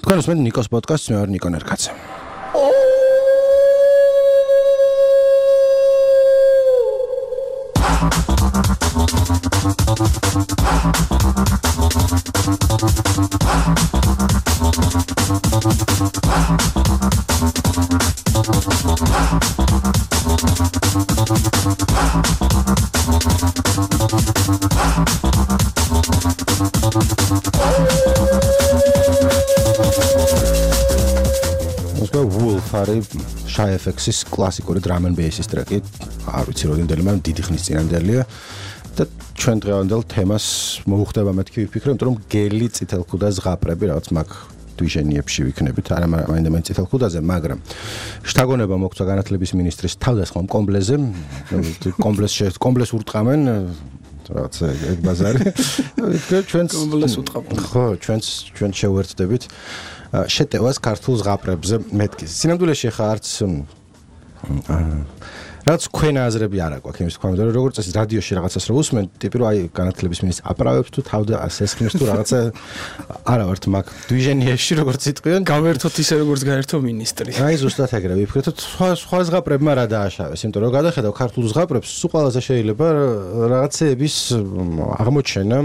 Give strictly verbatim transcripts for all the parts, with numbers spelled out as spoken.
თქვენ უსმენთ ნიკოს პოდკასტს, მე ვარ ნიკო ნერკაცე. Shy F X-ის კლასიკური drum and bass-ის ტრეკი, არ ვიცი რამდენდელი, მაგრამ დიდი ხნის წინანდელია და ჩვენ დღევანდელ თემას მოუხდება მეთქი ვიფიქრე, იმიტომ რომ გელი წითელქუდა ზღაპრები რაღაც მაგ დვიჟენიებში ვიქნებით, არა მაინდა წითელქუდაზე, მაგრამ შთაგონება მოგვცა განათლების მინისტრის თავდასხმამ კომბლეზე, კომბლეს კომბლეს ურტყამენ რაღაც ეგ ბაზარი. ჩვენს კომბლეს უტყამენ. ხო, ჩვენს ჩვენ შევერთდებით შეტევას ქართულ ზღაპრებზე მეთქის. სინამდვილეში ხა არც რაც ქვენ აზრები არ აქვს იმის თქვა, რომ როგორც წესი რადიოში რაღაცას რო უსმენ, ტიპი რომ აი განათლების მინისტრი აპრავებს თუ თავდა ასესხმის თუ რაღაცა არა ვართ მაგ დვიჟენიებში როგორც იტყვიან, გავერთოთ ისე როგორც გაერთო მინისტრი. აი ზუსტად ეგრე ვიფიქრეთ, სხვა სხვა ზღაპრებმა რა დააშავეს, იმიტომ რომ გადახედავ ქართულ ზღაპრებს, სულ ყველაზე შეიძლება რაღაცეების აღმოჩენა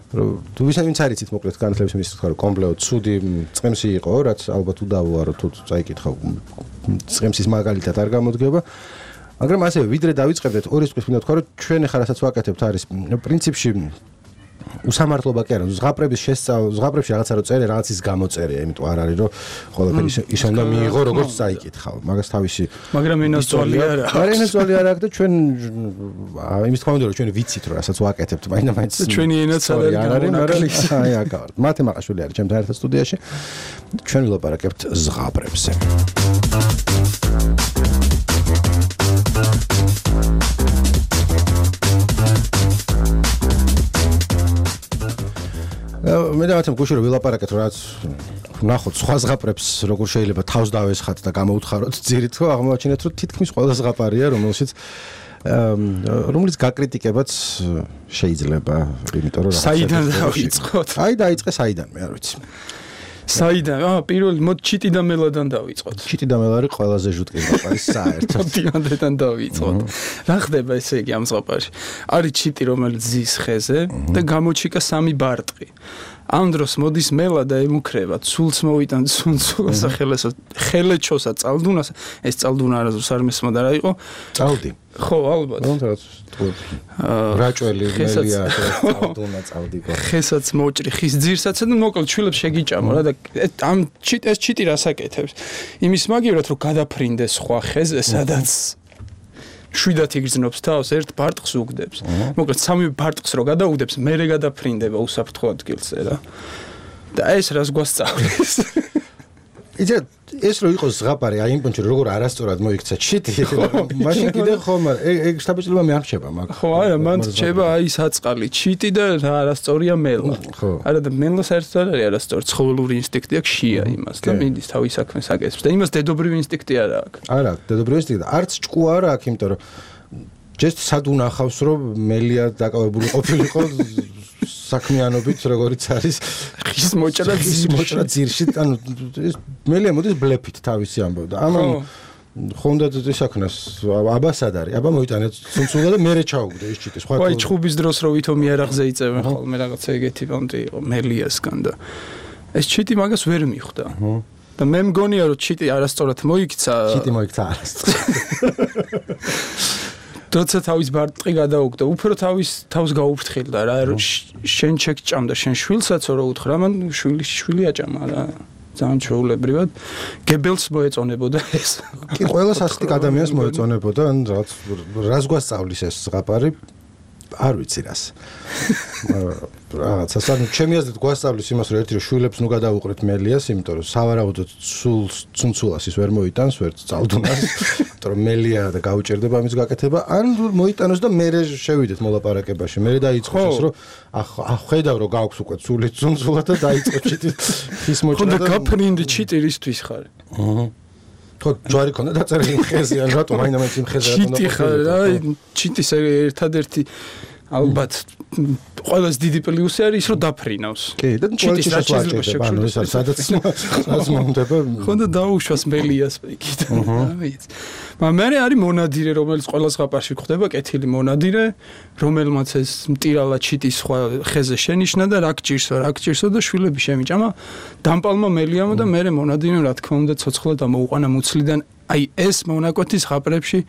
თუ ვინც არიცით მოკლედ განათლების მინისტრი თქვა რომ კომბლეო ცუდი წემსი იყო, რაც ალბათ უდავოა რომ თუ წაიკითხავ წემსის მაგალითად არ გამოდგება. მაგრამ ასევე ვიდრე დავიწყებდეთ ორი წუთით მინდა თქვა რომ ჩვენ ახლა რასაც ვაკეთებთ არის პრინციპში უსამართლობა კი არა, ზღაპრების შესწავლა, ზღაპრებში რაღაცა რო წერე, რაღაცის გამოწერია, იმიტომ არ არის რომ ყველაფერი ისე უნდა მიიღო როგორც წაიკითხავ. მაგას თავისი მაგრამ ენასწვალი არა. არა ენასწვალი არა აქვს და ჩვენ იმის თქმა უნდა რომ ჩვენ ვიცით რომ რასაც ვაკეთებთ, მაინდა მაინც ჩვენი ენაც არ არის, მაგრამ აი აკავ. მათე მაყაშვილი არის ჩემთან ერთად სტუდიაში. ჩვენ ვილაპარაკებთ ზღაპრებზე. მე დავაცემ გუშინ რომ ვილაპარაკეთ რომ რაც ნახოთ სხვა ზღაპრებს როგორ შეიძლება თავს დავესხათ და გამოუთხაროთ ძირით ხო აღმოაჩინეთ რომ თითქმის ყველა ზღაპარია რომელშიც რომელიც გაკრიტიკებაც შეიძლება იმიტომ რომ საიდან დავიწყოთ აი დაიწყე საიდან მე არ ვიცი საიდან აა პირველი მოდ ჩიტი და მელოდან დავიწყოთ ჩიტი და მელარი ყველაზე ჟუტკი ზღაპარის საერთოდ დიმანდიდან დავიწყოთ რა ხდება ესე იგი ამ ზღაპარში არის ჩიტი რომელიც ზის ხეზე და გამოჩიკა სამი ბარტყი ამ დროს მოდის მელა და ემუქრება ცულს მოვიტან ცუნცულას ხელესო ხელეჩოსა წალდუნას ეს წალდუნა არასდროს არ მესმოდა რა იყო წალდი ხო ალბათ რაჭველი მელია წალდუნა წალდიკო ხესაც მოჭრი ხის ძირსაც და მოკლედ ჩვილებს შეგიჭამო რა და ამ ეს ჩიტი რასაკეთებს იმის მაგივრად რომ გადაფრინდეს სხვა ხეზე სადაც შვიდათ იგრძნობს თავს ერთ ბარტყს უგდებს. მოკლედ სამი ბარტყს რო გადაუგდებს, მერე გადაფრინდება უსაფრთხო ადგილზე რა. და ეს რას გვასწავლის? იცი ეს რო იყოს ზღაპარი, აი იმ პონჩი როგორ არასწორად მოიქცა ჩიტი, მაშინ კიდე ხომ ეგ შტაბეჭდილება მე არ რჩება მაგ. ხო, არა, მან რჩება აი საწყალი ჩიტი და რა არასწორია მელა. არა და მელა საერთოდ არ არის არასწორი, ცხოველური ინსტინქტი აქვს შია იმას და მინდის თავის საქმეს აკეთებს და იმას დედობრივი ინსტინქტი არა აქვს. არა, დედობრივი ინსტინქტი არც ჭკუ არა აქვს, იმიტომ რომ ჯერ სად უნახავს რომ მელია დაკავებული ყოფილიყო საქმიანობით როგორიც არის ხის მოჭრა ხის მოჭრა ძირში ანუ მელია მოდის ბლეფით თავისი ამბავ და ამან ხონდათ ეს საქმეს აბასად არის აბა მოიტანეთ ცუნცულა და მერე ჩაუგდე ეს ჩიტი სხვა ვაი ჩხუბის დროს რო ვითომ იარაღზე იწევენ ხოლმე რაღაცა ეგეთი პონტი იყო მელიასგან და ეს ჩიტი მაგას ვერ მიხვდა და მე მგონია რომ ჩიტი არასწორად მოიქცა ჩიტი მოიქცა არასწორად როცა თავის ბარტყი გადაუგდა, უფრო თავის თავს გაუფრთხილდა რა, შენ შეგჭამდა შენ შვილსაცო რო უთხრა, მან შვილი შვილი აჭამა რა. ძალიან ჩვეულებრივად გებელს მოეწონებოდა ეს. კი, ყველას ასეთი ადამიანს მოეწონებოდა, ან რაღაც რას გვასწავლის ეს ზღაპარი? არ ვიცი რას. რაღაც ასა ჩემი აზრით გვასწავლის იმას რომ ერთი რომ შვილებს ნუ გადაუყრეთ მელიას, იმიტომ რომ სავარაუდოდ სულს ცუნცულას ის ვერ მოიტანს, ვერ წალდუნას, იმიტომ რომ მელია და გაუჭერდება ამის გაკეთება, ან მოიტანოს და მერე შევიდეთ მოლაპარაკებაში. მერე დაიწყოს ეს რომ ახ ხედავ რომ გაქვს უკვე სული ცუნცულა და დაიწყო ჩიტი ხის მოჭრა და ხო და გაფრინდი ჩიტი რისთვის ხარ? აჰა ხო ჯვარი ქონდა დაწერილი ხეზე ან რატომ აინდა მე იმ ხეზე რატომ ჩიტი ხარ აი ჩიტის ერთადერთი ალბათ ყველაზე დიდი პლუსი არის ის რომ დაფრინავს. კი, და ჩიტის რაც შეიძლება ანუ ეს არის სადაც სადაც მომდება. ხო და დაუშვას მელია სპეკით. მაგრამ მე არის მონადირე, რომელიც ყველა ზღაპარში ხდება, კეთილი მონადირე, რომელმაც ეს მტირალა ჩიტის სხვა ხეზე შენიშნა და რა გჭირსო, რა გჭირსო და შვილები შემიჭამა. დამპალმა მელიამა და მე მონადირემ რა თქმა უნდა ცოცხლა დამოუყანა მუცლიდან. აი ეს მონაკვეთის ზღაპრებში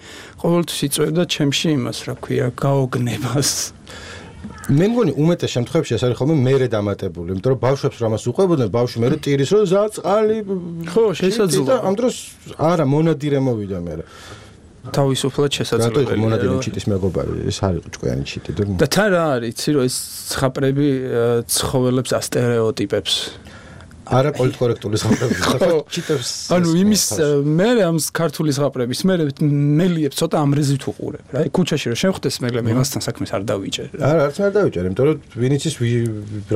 ყოველთვის იწვევდა ჩემში იმას, რა ქვია, გაოგნებას. მე მგონი უმეტეს შემთხვევებში ეს არის ხოლმე მერე დამატებული, იმიტომ რომ ბავშვებს რამას უყვებოდნენ, ბავშვი მერე ტირის რომ ზაწყალი ხო, შესაძლოა. ამ დროს არა მონადირე მოვიდა მერე. თავისუფლად შესაძლებელია. რატო მონადირე ჩიტის მეგობარი, ეს არის ჭკვიანი ჩიტი და და თან რა არის, იცი რომ ეს ზღაპრები ცხოველებს ასტერეოტიპებს არა პოლიტკორექტული ზღაპრები ხო ჩიტებს ანუ იმის მე ამ ქართული ზღაპრების მე მელიებს ცოტა ამრეზით უყურებ რა ქუჩაში რომ შევხვდეს მელე მე მასთან საქმეს არ დავიჭერ არა არც არ დავიჭერ იმიტომ რომ ვინიც ის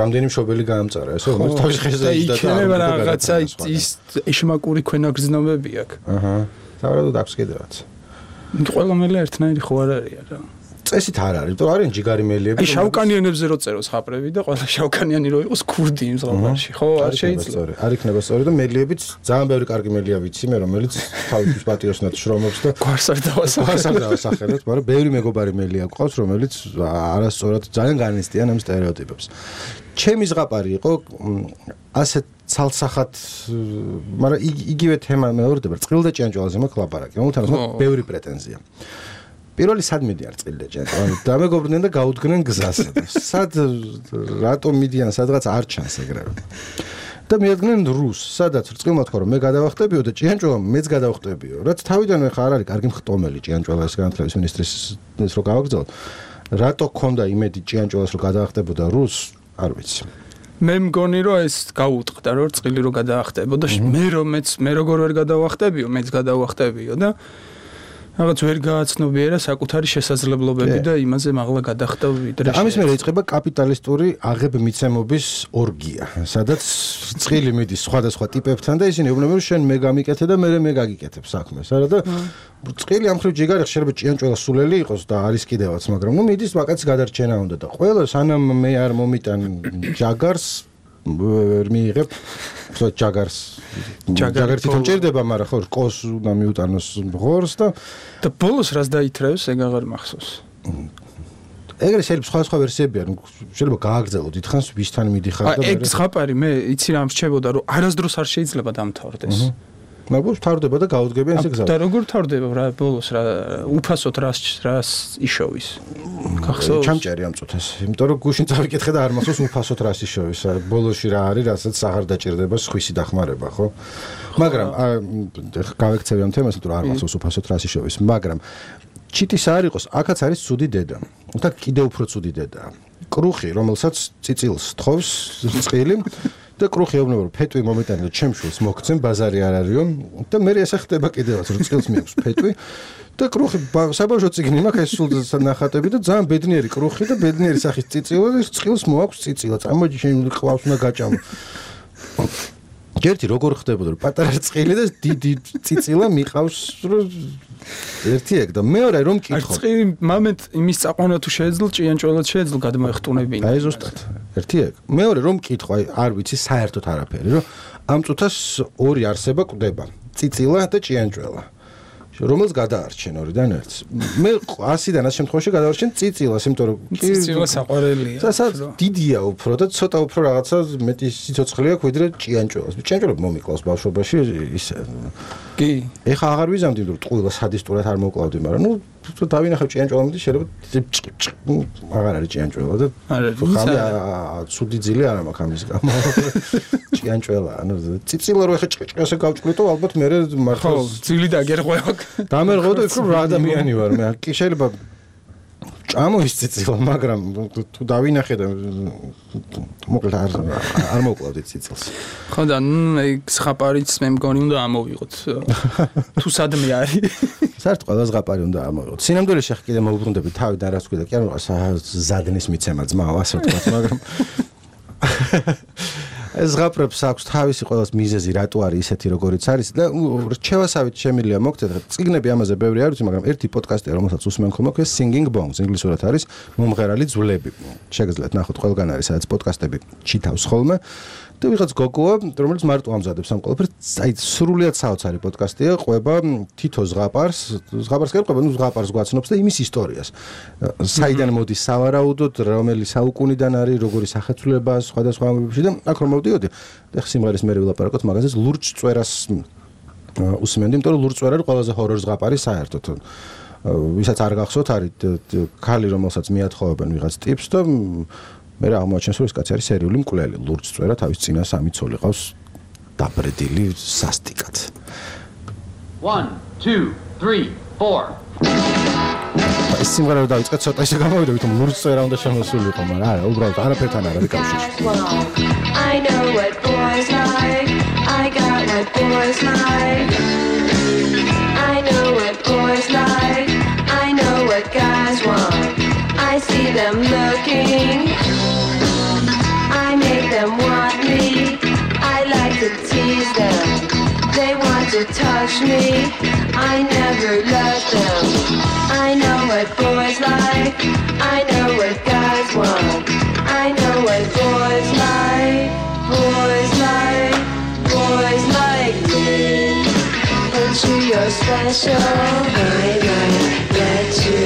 რამდენი მშობელი გაამწარა ესო რომელიც თავის ხეზე იჯდა და იქნება რაღაცა ის ეშმაკური ქვენაგრძნობები აქვს აჰა თავად აქვს კიდევაც ყველა მელე ერთნაირი ხო არ არის რა წესით არ არის, იმიტომ არის ჯიგარი მელიები. აი შავკანიანებზე რო წეროს ხაპრები და ყველა შავკანიანი რო იყოს ქურდი იმ ზღაპარში, ხო, არ შეიძლება. არ იქნება სწორი და მელიებიც ძალიან ბევრი კარგი მელია ვიცი მე, რომელიც თავის პატიოსნად შრომობს და გვარს არ დავასახელებ. არ დავასახელებ, მაგრამ ბევრი მეგობარი მელია გვყავს, რომელიც არასწორად ძალიან განიცდიან ამ სტერეოტიპებს. ჩემი ზღაპარი იყო ასეთ ცალსახად, მაგრამ იგივე თემა მეორდება, წყილ და ჭიანჭველაზე მაქვს ლაპარაკი, რომელთანაც მაქვს ბევრი პრეტენზია. პირველი სად მიდიან წყილ და ჭიანჭველზე? ანუ დამეგობრდნენ და გაუდგნენ გზას. სად რატომ მიდიან სადღაც არ ჩანს ეგრევე. და მიადგნენ რუს, სადაც წყილმა თქვა რომ მე გადავახტებიო და ჭიანჭველა მეც გადავახტებიო. რაც თავიდანვე ხარ არის კარგი მხტომელი ჭიანჭველა ეს განათლების მინისტრის ეს რო გავაგზავნოთ. რატო ქონდა იმედი ჭიანჭველას რომ გადავახტებოდა რუს? არ ვიცი. მე მგონი რომ ეს გაუტყდა რომ წყილი რო გადაახტებოდა მე რომ მეც მე როგორ ვერ გადავახტებიო მეც გადავახტებიო და რაღაც ვერ გააცნობიერა საკუთარი შესაძლებლობები და იმაზე მაღლა გადახტა ვიდრე ამის მერე იწყება კაპიტალისტური აღებმიცემობის ორგია სადაც წყილი მიდის სხვადასხვა ტიპებთან და ისინი ეუბნებიან რომ შენ მე გამიკეთე და მე მე გაგიკეთებ საქმეს არა და წყილი ამ ხრივ ჯიგარი შეიძლება ჭიანჭველა სულელი იყოს და არის კიდევაც მაგრამ ნუ მიდის ვაკაცი გადარჩენა უნდა და ყველა სანამ მე არ მომიტან ჯაგარს ვერ მიიღებ ხო ჯაგარს ჯაგარი თვითონ ჭირდება მაგრამ ხო რკოს უნდა მიუტანოს ღორს და და ბოლოს რას დაითრევს ეგ აღარ მახსოვს ეგრე შეიძლება სხვა სხვა ვერსიები არის შეიძლება გააგრძელო დიდხანს ვისთან მიდიხარ და ეგ ზღაპარი მე იცი რა მრჩებოდა რომ არასდროს არ შეიძლება დამთავრდეს მაგრამ თავდება და გაუდგებიან ეს გზა და როგორ თავდება რა ბოლოს რა უფასოდ რას რას იშოვის გახსოვს ჩამჭერი ამ წუთას იმიტომ რომ გუშინ წავიკითხე და არ მახსოვს უფასოდ რას იშოვის ბოლოში რა არის რასაც აღარ დაჭირდება სხვისი დახმარება ხო მაგრამ გავექცევი ამ თემას იმიტომ რომ არ მახსოვს უფასოდ რას იშოვის მაგრამ ჩიტის არ იყოს აქაც არის ცუდი დედა და კიდევ უფრო ცუდი დედაა კრუხი რომელსაც წიწილს თხოვს წყილი და კრუხი ეუბნება რომ ფეტვი მომეტანი და ჩემშულს მოგცემ ბაზარი არ არისო და მე ესე ხდება კიდევაც რომ წყილს მიაქვს ფეტვი და კრუხი საბავშვო წიგნი მაქვს ეს სულ ნახატები და ძალიან ბედნიერი კრუხი და ბედნიერი სახის წიწილა და წყილს მოაქვს წიწილა წამოიჯი შენ ყავს უნდა გაჭამო ერთი როგორ ხდებოდა რომ პატარა წყილი და დიდი წიწილა მიყავს რომ ერთი ეგ და მეორე რომ კითხო წყილი მომენტ იმის წაყვანა თუ შეეძლო ჭიანჭველად შეეძლო გადმოეხტუნებინა აი ზუსტად ერთი ეგ მეორე რომ კითხო აი არ ვიცი საერთოდ არაფერი რომ ამ წუთას ორი არსება კვდება წიწილა და ჭიანჭველა რომელს გადაარჩენ ორიდან ერთს მე ასიდან ამ შემთხვევაში გადავარჩენ წიწილას იმიტომ რომ წიწილა საყვარელია სასაც დიდია უფრო და ცოტა უფრო რაღაცა მეტი სიცოცხლე აქვს ვიდრე ჭიანჭველას ჭიანჭველა მომიკლავს ბავშვობაში ისე კი ეხა აღარ ვიზამდი რომ ტყუილა სადისტურად არ მოკლავდი მაგრამ ნუ დავინახავ ჭიანჭველა მიდის შეიძლება აღარ არის ჭიანჭველა და ხამი ცუდი ძილი არ მაქვს ამის გამო ჭიანჭველა ანუ წიწილა რო ეხა ჭკჭკასე გავჭკვრიტო ალბათ მე მართლა ძილი დაგერღვევ დამერღო და იქ რა ადამიანი ვარ მე კი შეიძლება ჭამოვის წიწილა მაგრამ თუ დავინახე და მოკლედ არ არ მოკლავდი წიწილს ხო და ეგ ზღაპარიც მე მგონი უნდა ამოვიღოთ თუ სადმე არის საერთოდ ყველა ზღაპარი უნდა ამოვიღოთ სინამდვილეში ხა კიდე მოუბრუნდები თავიდან რაც თქვი და კი ანუ ზადნის მიცემა ძმაო ასე ვთქვათ მაგრამ ეს ზღაპრებს აქვს თავისი ყველას მიზეზი რატო არის ისეთი როგორიც არის და რჩევასავით შემიძლია მოგწეთ წიგნები ამაზე ბევრი არ ვიცი მაგრამ ერთი პოდკასტია რომელსაც უსმენ ხოლმე ქვია Singing Bones ინგლისურად არის მომღერალი ძვლები შეგიძლიათ ნახოთ ყველგან არის სადაც პოდკასტები ჩითავს ხოლმე და ვიღაც გოგოა რომელიც მარტო ამზადებს ამ ყველაფერს აი სრულიად საოცარი პოდკასტია ყვება თითო ზღაპარს ზღაპარს ყვება ნუ ზღაპარს გვაცნობს და იმის ისტორიას საიდან მოდის სავარაუდოდ რომელი საუკუნიდან არის როგორი სახეცვლება სხვადასხვა ამბებში და აქ რომ მოვდიოდი და სიმღერის მერე ვილაპარაკოთ მაგაზეც ლურჯ წვერას უსმენდი იმიტომ რომ ლურჯ წვერა არის ყველაზე ჰორორ ზღაპარი საერთოდ ვისაც არ გახსოვთ არის ქალი რომელსაც მიათხოვებენ ვიღაც ტიპს და მე რა აღმოაჩენს რომ ეს კაცი არის სერიული მკვლელი ლურჯ წვერა თავის წინა სამი ცოლი ყავს დაბრედილი სასტიკად one two three four ეს სიმღერა რომ დავიწყეთ ცოტა ისე გამოვიდა ვითომ ლურჯ წვერა უნდა შემოსულიყო მაგრამ არა უბრალოდ არაფერთან არ არის კავშირი I know what boys like I got what boys like I know what boys like I know what guys want I see them looking I make them want me I like to tease them They want to touch me I never let them I know what boys like I know what guys want I know what boys like Boys like Boys like me And you you're special I might let you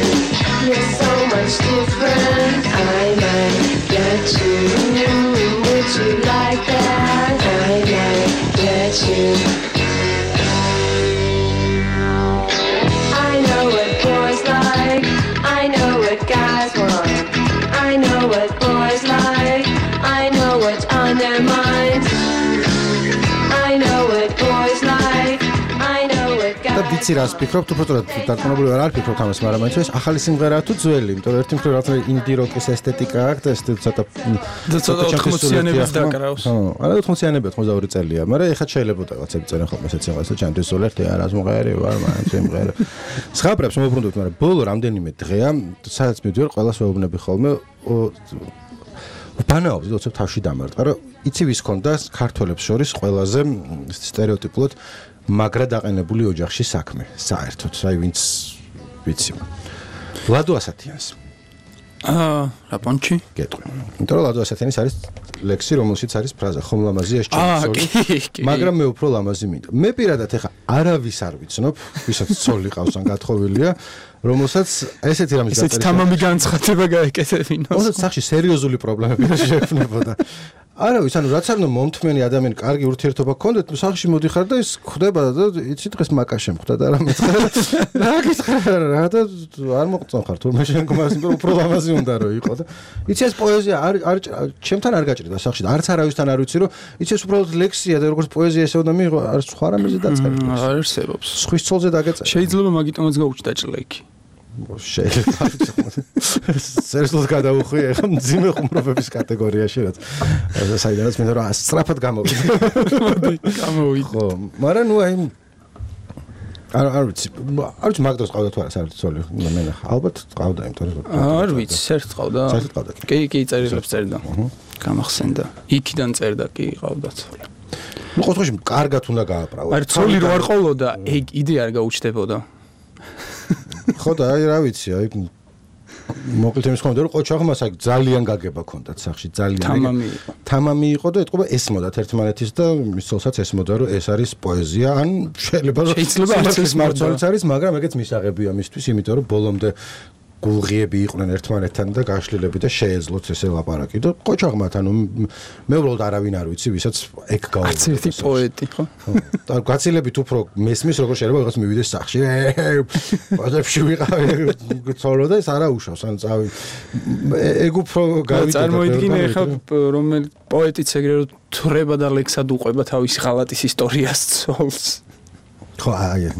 You're so much different I might let you Would you like that? I might let you I know what boys like I know what guys want I know what boys like I know what's on their minds I know what boys like I know what guys და ვიცი რას ფიქრობთ უბრალოდ დარწმუნებული ვარ არ ფიქრობთ ამას მაგრამ მაინც ეს ახალი სიმღერაა თუ ძველი იმიტომ რომ ერთი მხრივ რაღაცა ინდი როკის ესთეტიკა აქვს და ეს ცოტა და ცოტა ოთხმოციანების დაკრავს ხო არა ოთხმოციანები ოცდაორი წელია მაგრამ ეხლა შეიძლება რაღაცები წერენ ხოლმე ესეც რაღაცა ჩემთვის სულერთი არა ზმღერი ვარ მაინც სიმღერა ზღაპრებს მოვუბრუნდოთ მაგრამ ბოლო რამდენიმე დღეა სადაც მივდივარ ყველას ვეუბნები ხოლმე ბანაობს დოცებ თავში დამარტყა რომ იცი ვის ქონდა ქართველებს შორის ყველაზე სტერეოტიპულად მაგრა დაყენებული ოჯახში საქმე საერთოდ აი ვინც ვიცი ლადო ასათიანს აა რაპონჩი გეტყვი იმიტომ რომ ლადო ასათიანის არის ლექსი რომელშიც არის ფრაზა ხომ ლამაზია ეს ჩემი ცოლი მაგრამ მე უფრო ლამაზი მინდა მე პირადად ეხა არავის არ ვიცნობ ვისაც ცოლი ყავს ან გათხოვილია რომელსაც ესეთი რამის დაწერა ესეც თამამი განცხადება გაეკეთებინოს ოღონდ სახში სერიოზული პრობლემები შეექმნებოდა არავის ანუ რაც არ უნდა მომთმენი ადამიანი კარგი ურთიერთობა გქონდეთ სახში მოდიხარ და ის ხდება და იცი დღეს მაკა შემხვდა და რა მეცხრა რა გიცხარ რა და არ მოყწონ ხარ თურმე შენ გმას უფრო ლამაზი უნდა რომ იყო და იცი ეს პოეზია არ არ ჩემთან არ გაჭრიდა სახში და არც არავისთან არ ვიცი რომ იცი ეს უბრალოდ ლექსია და როგორც პოეზია ესე უნდა მიიღო არ სხვა რამეზე დაწერილი არ არსებობს სხვის ცოლზე დაგეწერა შეიძლება მაგიტომაც გაუჩნდა ჭლექი შეიძლება სერიოზულად გადავუხვი ახლა მძიმე ხუმრობების კატეგორიაში რაც საიდანაც მინდა რომ სწრაფად გამოვიდე გამოვიდე ხო მაგრამ ნუ აი არ არ ვიცი არ ვიცი მაგდროს ყავდა თუ არა საერთოდ ცოლი მე ნახა ალბათ ყავდა იმიტომ რომ არ ვიცი საერთოდ ყავდა საერთოდ ყავდა კი კი წერილებს წერდა გამახსენდა იქიდან წერდა კი ყავდა ცოლი ნუ ყოველთვის კარგად უნდა გააყრავო არ ცოლი რო არ ყოლოდა ეგ იდე არ გაუჩნდებოდა ხო და აი რა ვიცი აი მოკლედ იმის ხომ რომ ყოჩაღმას აი ძალიან გაგება ქონდათ სახში ძალიან თამამი იყო თამამი იყო და ეთყობა ესმოდათ ერთმანეთის და მის ცოლსაც ესმოდა რომ ეს არის პოეზია ან შეიძლება რომ შეიძლება არც ეს მარცვალიც არის მაგრამ ეგეც მისაღებია მისთვის იმიტომ რომ ბოლომდე გულღიები იყვნენ ერთმანეთთან და გაშლილები და შეეძლოთ ესე ლაპარაკი და ყოჩაღმათ ანუ მე უბრალოდ არავინ არ ვიცი ვისაც ეგ გავიგე არც ერთი პოეტი ხო და გაცილებით უფრო მესმის როგორ შეიძლება ვიღაც მივიდეს სახში პოზებში ვიყავი ცოლო და ეს არა უშავს ან წავი ეგ უფრო გავიგე წარმოიდგინე ხა რომელი პოეტიც ეგრე რომ თრება და ლექსად უყვება თავისი ხალატის ისტორიას ცოლს ხო აი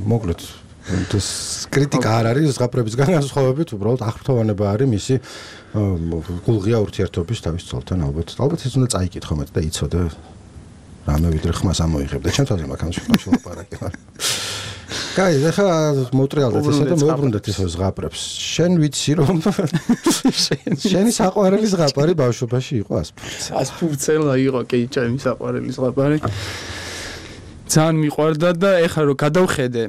მოკლედ ეს კრიტიკა არ არის ზღაპრების განსხვავებით უბრალოდ აღფრთოვანება არის მისი გულღია ურთიერთობის თავის ცოლთან ალბათ ალბათ ეს უნდა წაიკითხო მეტ და იცოდე რამე ვიდრე ხმას ამოიღებდა ჩემ თავზე მაგას შეფაშო ლაპარაკი კაი, ახლა მოუტრიალდეთ ესე და მოუბრუნდეთ ისე ზღაპრებს. შენ ვიცი რომ შენი საყვარელი ზღაპარი ბავშვობაში იყო ასპურცელა. ასპურცელა იყო კი ჩემი საყვარელი ზღაპარი. ძალიან მიყვარდა და ეხლა რომ გადავხედე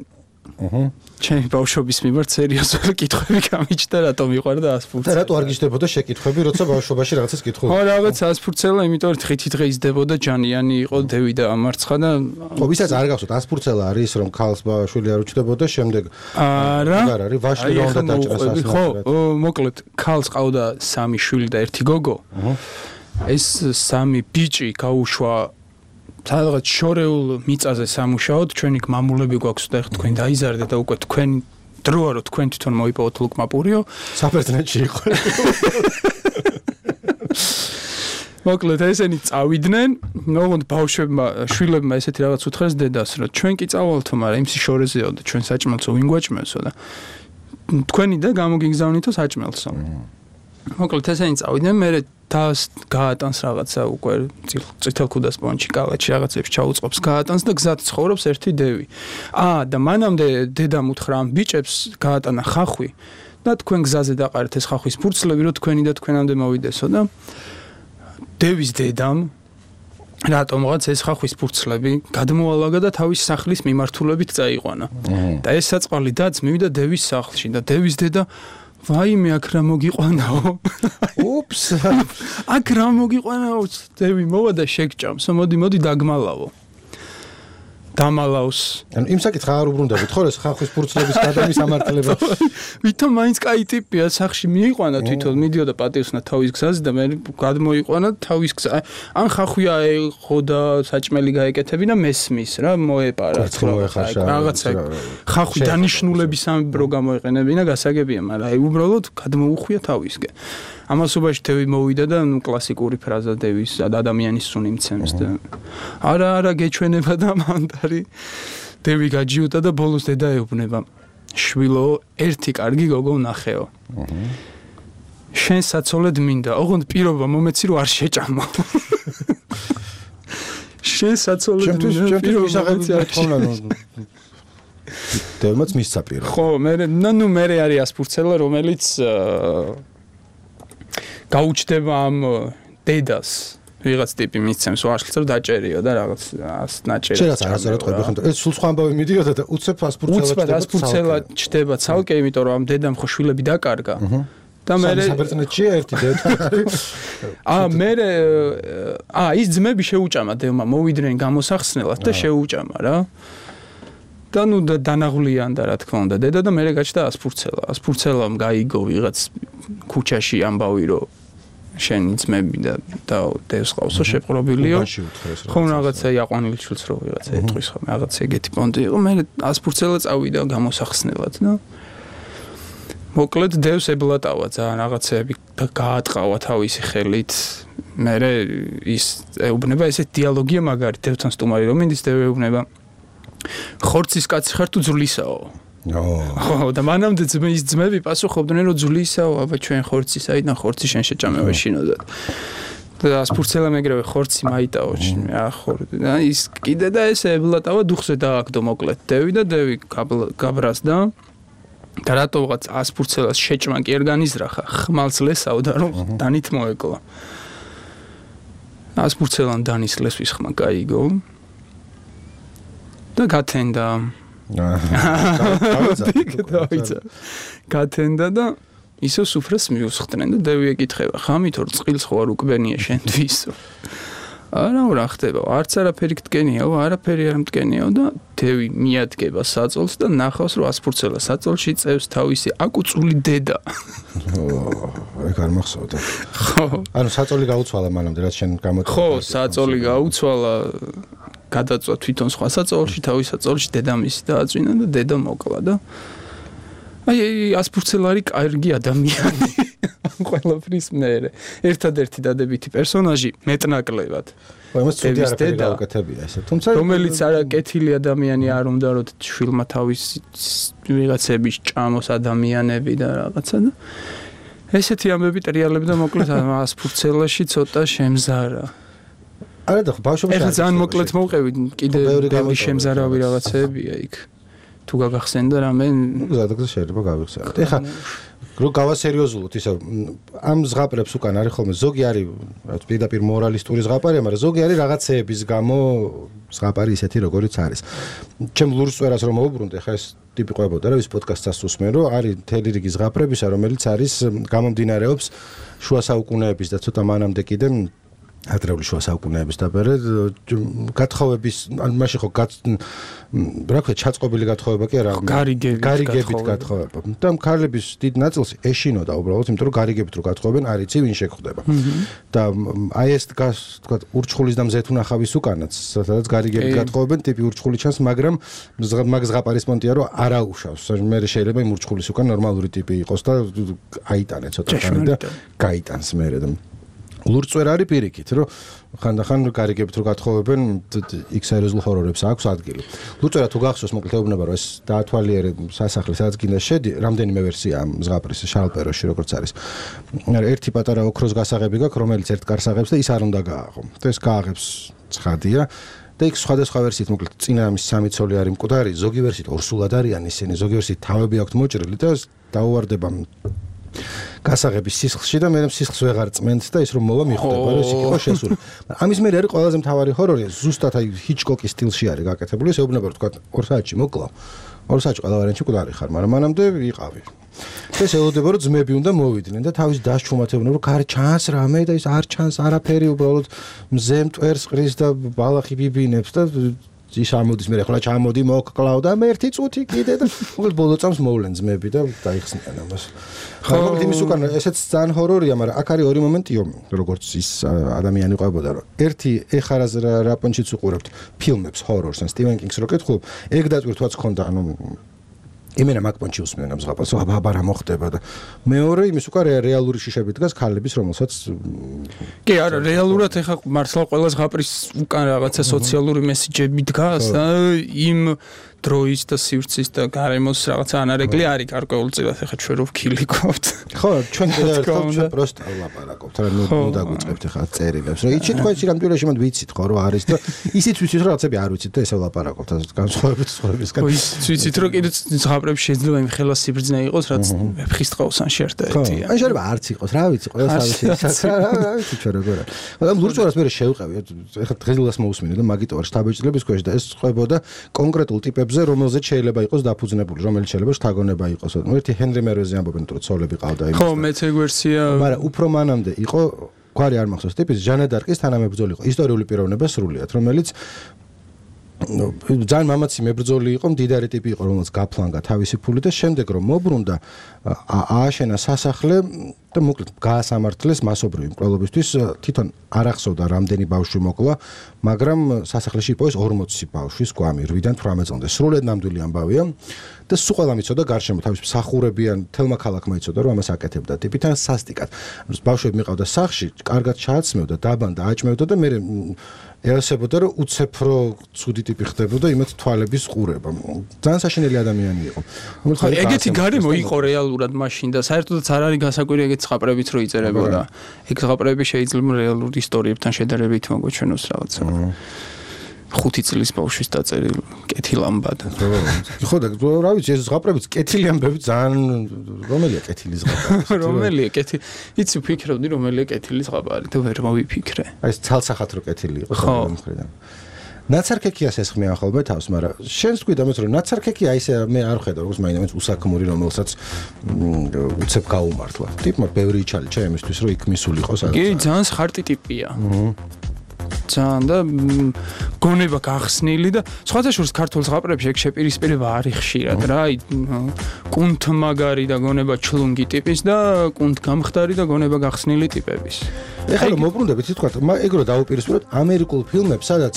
აჰა ჩემი ბავშვობის მიმართ სერიოზული კითხვები გამიჩნდა რატომ მიყვარდა ასპურცელა. და რატო არ გიჩნდებოდა შეკითხვები, როცა ბავშვობაში რაღაცას კითხულობ? ხო, რაღაც ასპურცელა, იმიტომ რომ ხითი დღე იზრდებოდა, ჯანიანი იყო, დევი და ამარცხა და ხო, ვისაც არ გახსოვთ, ასპურცელა არის რომ ქალს შვილი არ უჩნდებოდა, შემდეგ არა, არ არის, ვაჟი რა უნდა დაჭრას ასნათურად. ხო, მოკლედ, ქალს ყავდა სამი შვილი და ერთი გოგო. ეს სამი ბიჭი გაუშვა სადღაც შორეულ მიწაზე სამუშაოდ, ჩვენი მამულები გვაქვს და ეხლა თქვენ დაიზარდეთ და უკვე თქვენ დროა რომ თქვენ თვითონ მოიპოვოთ ლუკმაპურიო, საბერძნეთში იყო. მოკლედ ესენი წავიდნენ, ოღონდ ბავშვებმა, შვილებმა ესეთი რაღაც უთხრეს დედას, რომ ჩვენ კი წავალთო, მაგრამ იმის შორეზეო და ჩვენ საჭმელსო ვინ გვაჭმევსო და თქვენი და გამოგიგზავნითო საჭმელსო. მოკლედ ესენი წავიდნენ, მე თავს გაატანს რაღაცა უკვე წითელ ქუდას პონჩი კალაჩი რაღაცებს ჩაუწყობს გაატანს და გზად ცხოვრობს ერთი დევი. აა და მანამდე დედამ უთხრა ამ ბიჭებს გაატანა ხახვი და თქვენ გზაზე დაყარეთ ეს ხახვის ფურცლები რომ თქვენი და თქვენამდე მოვიდესო და დევის დედამ რატომღაც ეს ხახვის ფურცლები გადმოალაგა და თავის სახლის მიმართულებით წაიყვანა. და ეს საწყალი დაც მივიდა დევის სახლში და დევის დედა ვაიმე აქ რა მოგიყვანაო. უფს. აქ რა მოგიყვანაო, დევი მოვა და შეგჭამს. მოდი, მოდი დაგმალავო. დამალავს. ანუ იმ საკითხს არ უბრუნდებით, ხო ეს ხახვის ფურცლების გადამის ამართლება. ვითომ მაინც კაი ტიპია, სახში მიიყვანა თვითონ, მიდიოდა პატიოსნა თავის გზაზე და მე გადმოიყვანა თავის გზა. ან ხახვია ეყო და საჭმელი გაეკეთებინა მესმის რა, მოეპარა. რაღაცა ხახვი დანიშნულების ამ პროგრამა ეყენებინა, გასაგებია, მაგრამ აი უბრალოდ გადმოუხვია თავისკენ. ამასობაში დევი მოვიდა და ნუ კლასიკური ფრაზა დევის ადამიანის სუნი მცემს და არა არა გეჩვენება და მანდარი დევი გაჯიუტა და ბოლოს დედა ეუბნება შვილო ერთი კარგი გოგო ვნახეო შენ საცოლედ მინდა ოღონდ პირობა მომეცი რომ არ შეჭამო შენ საცოლედ მინდა ჩემთვის ისაღები თხოვნა დევმაც მისცა პირობა ხო მე ნუ მე არის ასპურცელა რომელიც გაუჩდება ამ დედას ვიღაც ტიპი მისცემს ვაშლს რომ დაჭერიო და რაღაც ნაჭერი შეიძლება არასდროს ყვები ხომ ეს სულ სხვა ამბავი მიდიოდა და უცებ ასპურცელა უცებ ასპურცელა ჩდება ცალკე იმიტომ რომ ამ დედამ ხო შვილები დაკარგა და მე საბერძნეთშია ერთი დედა აა მე აა ის ძმები შეუჭამა დევმა მოვიდნენ გამოსახსნელად და შეუჭამა რა და ნუ დანაღვლიანდა რა თქმა უნდა დედა და მე გაჩნდა ასპურცელა ასპურცელამ გაიგო ვიღაც ქუჩაში ამბავი რომ შენი ძმები და და დევს ყავსო შეპყრობილიო ხომ რაღაცა იაყვანილი ჩილს რო ვიღაცა ეტყვის ხომ რაღაც ეგეთი პონტი იყო მე ასპურცელა წავიდა გამოსახსნელად და მოკლედ დევს ებლატავა ძალიან რაღაცები გაატყავა თავისი ხელით მე ის ეუბნება ესეთ დიალოგია მაგარი დევთან სტუმარი რომ მინდის დევ ეუბნება ხორცის კაცი ხარ თუ ძვლისაო ხო და მანამდე ძმის ძმები პასუხობდნენ რომ ძვლისაო აბა ჩვენ ხორცი საიდან ხორცი შენ შეჭამება შინოდად და ასპურცელა მეგრევე ხორცი მაიტაო ახო და ის კიდე და ეს ებლატავა დუხზე დააგდო მოკლედ დევი და დევი გაბრაზდა და რატოღაც ასპურცელას შეჭმა კი არ განიზრახა ხმალს ლესავდა რომ დანით მოეკლა ასპურცელან დანის ლესვის ხმა გაიგო და გათენდა გათენდა და ისო სუფრას მიუსხდნენ და დევი ეკითხება ხამით ორ წყილს ხო არ უკბენია შენთვისო არა რა ხდება არც არაფერი გდგენიაო არაფერი არ მდგენიაო და დევი მიადგება საწოლს და ნახავს რომ ასპურცელა საწოლში წევს თავისი აკუწული დედა ეგ არ მახსოვდა ხო ანუ საწოლი გაუცვალა მანამდე რაც შენ გამოწვევა ხო საწოლი გაუცვალა გადაწვა თვითონ სხვა საწოლში თავის საწოლში დედამისი დააწვინა და დედა მოკლა და აი ასპურცელა არის კარგი ადამიანი ყველაფრის მერე ერთადერთი დადებითი პერსონაჟი მეტნაკლებად ხო იმას ცუდი არაფერი გაუკეთებია ესე თუმცა რომელიც არა კეთილი ადამიანი არ უნდა რომ შვილმა თავის ვიღაცების ჭამოს ადამიანები და რაღაცა და ესეთი ამბები ტრიალებდა მოკლედ ასპურცელაში ცოტა შემზარა არა და ბავშვობაში ეხლა ძალიან მოკლედ მოვყევი კიდე ბევრი შემზარავი რაღაცებია იქ თუ გაგახსენდა რამე გზადაგზა შეიძლება გავიხსენოთ. ეხლა რო გავასერიოზულოთ ისე ამ ზღაპრებს უკან არის ხოლმე ზოგი არის რაც პირდაპირ მორალისტური ზღაპარია, მაგრამ ზოგი არის რაღაცეების გამო ზღაპარი ისეთი როგორიც არის. ჩემ ლურსვერას რომ მოუბრუნდე, ხა ეს ტიპი ყვებოდა რა ვის პოდკასტს უსმენ, რომ არის მთელი რიგი ზღაპრებისა, რომელიც არის გამომდინარეობს შუა საუკუნეების და ცოტა მანამდე კიდე ადრეული შუა საუკუნეების დაბერე გათხოვების ან მაშინ ხო რა ქვია ჩაწყობილი გათხოვება კი არა გარიგებით გარიგებით გათხოვება და ქალების დიდ ნაწილს ეშინოდა უბრალოდ იმიტომ რომ გარიგებით რო გათხოვებენ არ იცი ვინ შეგხვდება და აი ეს თქვა ურჩხულის და მზეთუნახავის უკანაც სადაც გარიგებით გათხოვებენ ტიპი ურჩხული ჩანს მაგრამ მაგ ზღაპარის პონტია რომ არაუშავს მე შეიძლება იმ ურჩხულის უკან ნორმალური ტიპი იყოს და აიტანე ცოტა ხანი და გაიტანს მე და ლურწვერ არის პირიქით, რომ ხანდახან გარიგებით რო გათხოვებენ X-სერიოზულ ჰორორებს აქვს ადგილი. ლურწვერა თუ გახსოვს, მოკლედ ეუბნება რომ ეს დაათვალიერე სასახლე, სადაც გინდა შედი, რამდენიმე ვერსია ამ ზღაპრის შალპეროში როგორც არის. ერთი პატარა ოქროს გასაღები გაქვს, რომელიც ერთ კარს აღებს და ის არ უნდა გააღო. და ეს გააღებს ცხადია. და იქ სხვადასხვა ვერსიით მოკლედ წინა ამის სამი ცოლი არის მკვდარი, ზოგი ვერსიით ორსულად არიან ისინი, ზოგი ვერსიით თავები აქვთ მოჭრილი და დაუვარდება გასაღების სისხლში და მე სისხლს ვეღარ წმენთ და ის რომ მოვა მიხვდება რომ ის იყო შესული. ამის მერე არის ყველაზე მთავარი ჰორორი, ზუსტად აი ჰიჩკოკის სტილში არის გაკეთებული, ეს ეუბნება რომ თქვა ორ საათში მოკლავ. ორ საათში ყველა ვარიანტი მკვდარი ხარ, მაგრამ მანამდე ვიყავი. ეს ელოდება რომ ძმები უნდა მოვიდნენ და თავის დასჩუმათებდნენ რომ კარ ჩანს რამე და ის არ ჩანს არაფერი უბრალოდ მზე მტვერს ყრის და ბალახი ბიბინებს და ის ამოდის მე ხოლმე ჩამოდი მოკკლავ და მე ერთი წუთი კიდე და მოკლედ ბოლო წამს მოვლენ ძმები და დაიხსნიან ამას. ხო, მოკლედ იმის უკან ესეც ძალიან ჰორორია, მაგრამ აქ არის ორი მომენტიო, როგორც ის ადამიანი ყვებოდა, რომ ერთი ეხარას რა პონჩიც უყურებთ ფილმებს ჰორორს, ან სტივენ კინგს რო კითხულობ, ეგ დაწვირთვაც ხონდა, ანუ იმენა მაგპონჩი უსმენ ამ ზღაპარს, აბა აბა რა მოხდება და მეორე იმის უკან რეალური შიშები დგას ქალების, რომელსაც კი არა, რეალურად ეხა მართლა ყველა ზღაპრის უკან რაღაცა სოციალური მესიჯები დგას და იმ დროის და სივრცის და გარემოს რაღაცა ანარეკლი არის გარკვეულწილად ეხა ჩვენ რო ვქილიკობთ. ხო, ჩვენ კიდევ ერთხელ ჩვენ პროსტა ვლაპარაკობთ, რა ნუ ნუ დაგვიწყებთ ეხა წერილებს, რომ იცით თქვენ სირამ ტურაში მანდ ვიცით ხო რომ არის და ისიც ვიცით რომ რაღაცები არ ვიცით და ესე ვლაპარაკობთ ასე განსხვავებით სხვებისგან. ხო, ისიც ვიცით რომ კიდე ზღაპრებში შეიძლება იმ ხელა სიბრძნე იყოს, რაც ვეფხის ტყავს ან შერტა ეტია. ან შეიძლება არც იყოს, რა ვიცი, ყველა სავისი რა ვიცი ჩვენ როგორ არის. მაგრამ ლურწვერას მე შევყევი, ეხა დღეილას მოусმინე და მაგიტო არ შტაბეჭდილების ქვეშ და ეს ყვებოდა კონკრეტულ ტიპებს რომელზეც შეიძლება იყოს დაფუძნებული, რომელიც შეიძლება შთაგონება იყოს. ერთი ჰენრი მერვეზე ამბობენ, რომ ცოლები ყავდა იმის. ხო, მეც ეგ ვერსია. მაგრამ უფრო მანამდე იყო, გვარი არ მახსოვს ტიპის, ჟანა დარკის თანამებრძოლი იყო, ისტორიული პიროვნება სრულიად, რომელიც ძალიან მამაცი მებრძოლი იყო, მდიდარი ტიპი იყო, რომელიც გაფლანგა თავისი ფული და შემდეგ რომ მობრუნდა, ააშენა სასახლე და მოკლედ გაასამართლეს მასობრივი მკვლელობისთვის, თვითონ არ ახსოვდა რამდენი ბავშვი მოკლა, მაგრამ სასახლეში იყო ეს ორმოცი ბავშვის გვამი, რვიდან თვრამეტამდე. სრულიად ნამდვილი ამბავია და სულ ყველა მიცოდა გარშემო თავის მსახურებიან თელმა ქალაქმა იცოდა რომ ამას აკეთებდა ტიპიდან სასტიკად. ბავშვები მიყავდა სახლში, კარგად ჩააცმევდა, დაბანდა, აჭმევდა და მე ეასებოდა რომ უცეფრო ცუდი ტიპი ხდებოდა იმათ თვალების ყურება. ძალიან საშინელი ადამიანი იყო. ხო, ეგეთი გარემო იყო რეალურად მაშინ და საერთოდაც არ არის გასაკვირი ეგეთ ზღაპრებიც რო იწერებოდა. ეგ ზღაპრები შეიძლება რეალურ ისტორიებთან შედარებით მოგვეჩვენოს რაღაცა. ხუთი წლის ბავშვის დაწერილი კეთილ ამბად. ხო და რა ვიცი ეს ზღაპრებიც კეთილი ამბები ძალიან რომელია კეთილი ზღაპარი? რომელია კეთილი? იცი ვფიქრობდი რომელია კეთილი ზღაპარი და ვერ მოვიფიქრე. აი ეს ცალსახად რო კეთილი იყო ამ მხრიდან. ნაცარქექიას ესხმიან ხოლმე თავს, მაგრამ შენს თქვი და მეც რომ ნაცარქექია ისე მე არ ხედავ როგორც მაინც უსაქმური რომელსაც უცებ გაუმართლა. ტიპმა ბევრი იჩალიჩა იმისთვის რომ იქ მისულიყო სადაც. კი, ძალიან ხარტი ტიპია. ძალიან და გონება გახსნილი და სხვათა შორის ქართულ ზღაპრებში ეგ შეპირისპირება არის ხშირად რა, აი კუნთმაგარი და გონება ჩლუნგი ტიპის და კუნთგამხდარი და გონება გახსნილი ტიპების. ეხლა რომ მოbrunდებით თქვა, ეგ რო დაუპირისპიროთ ამერიკულ ფილმებს, სადაც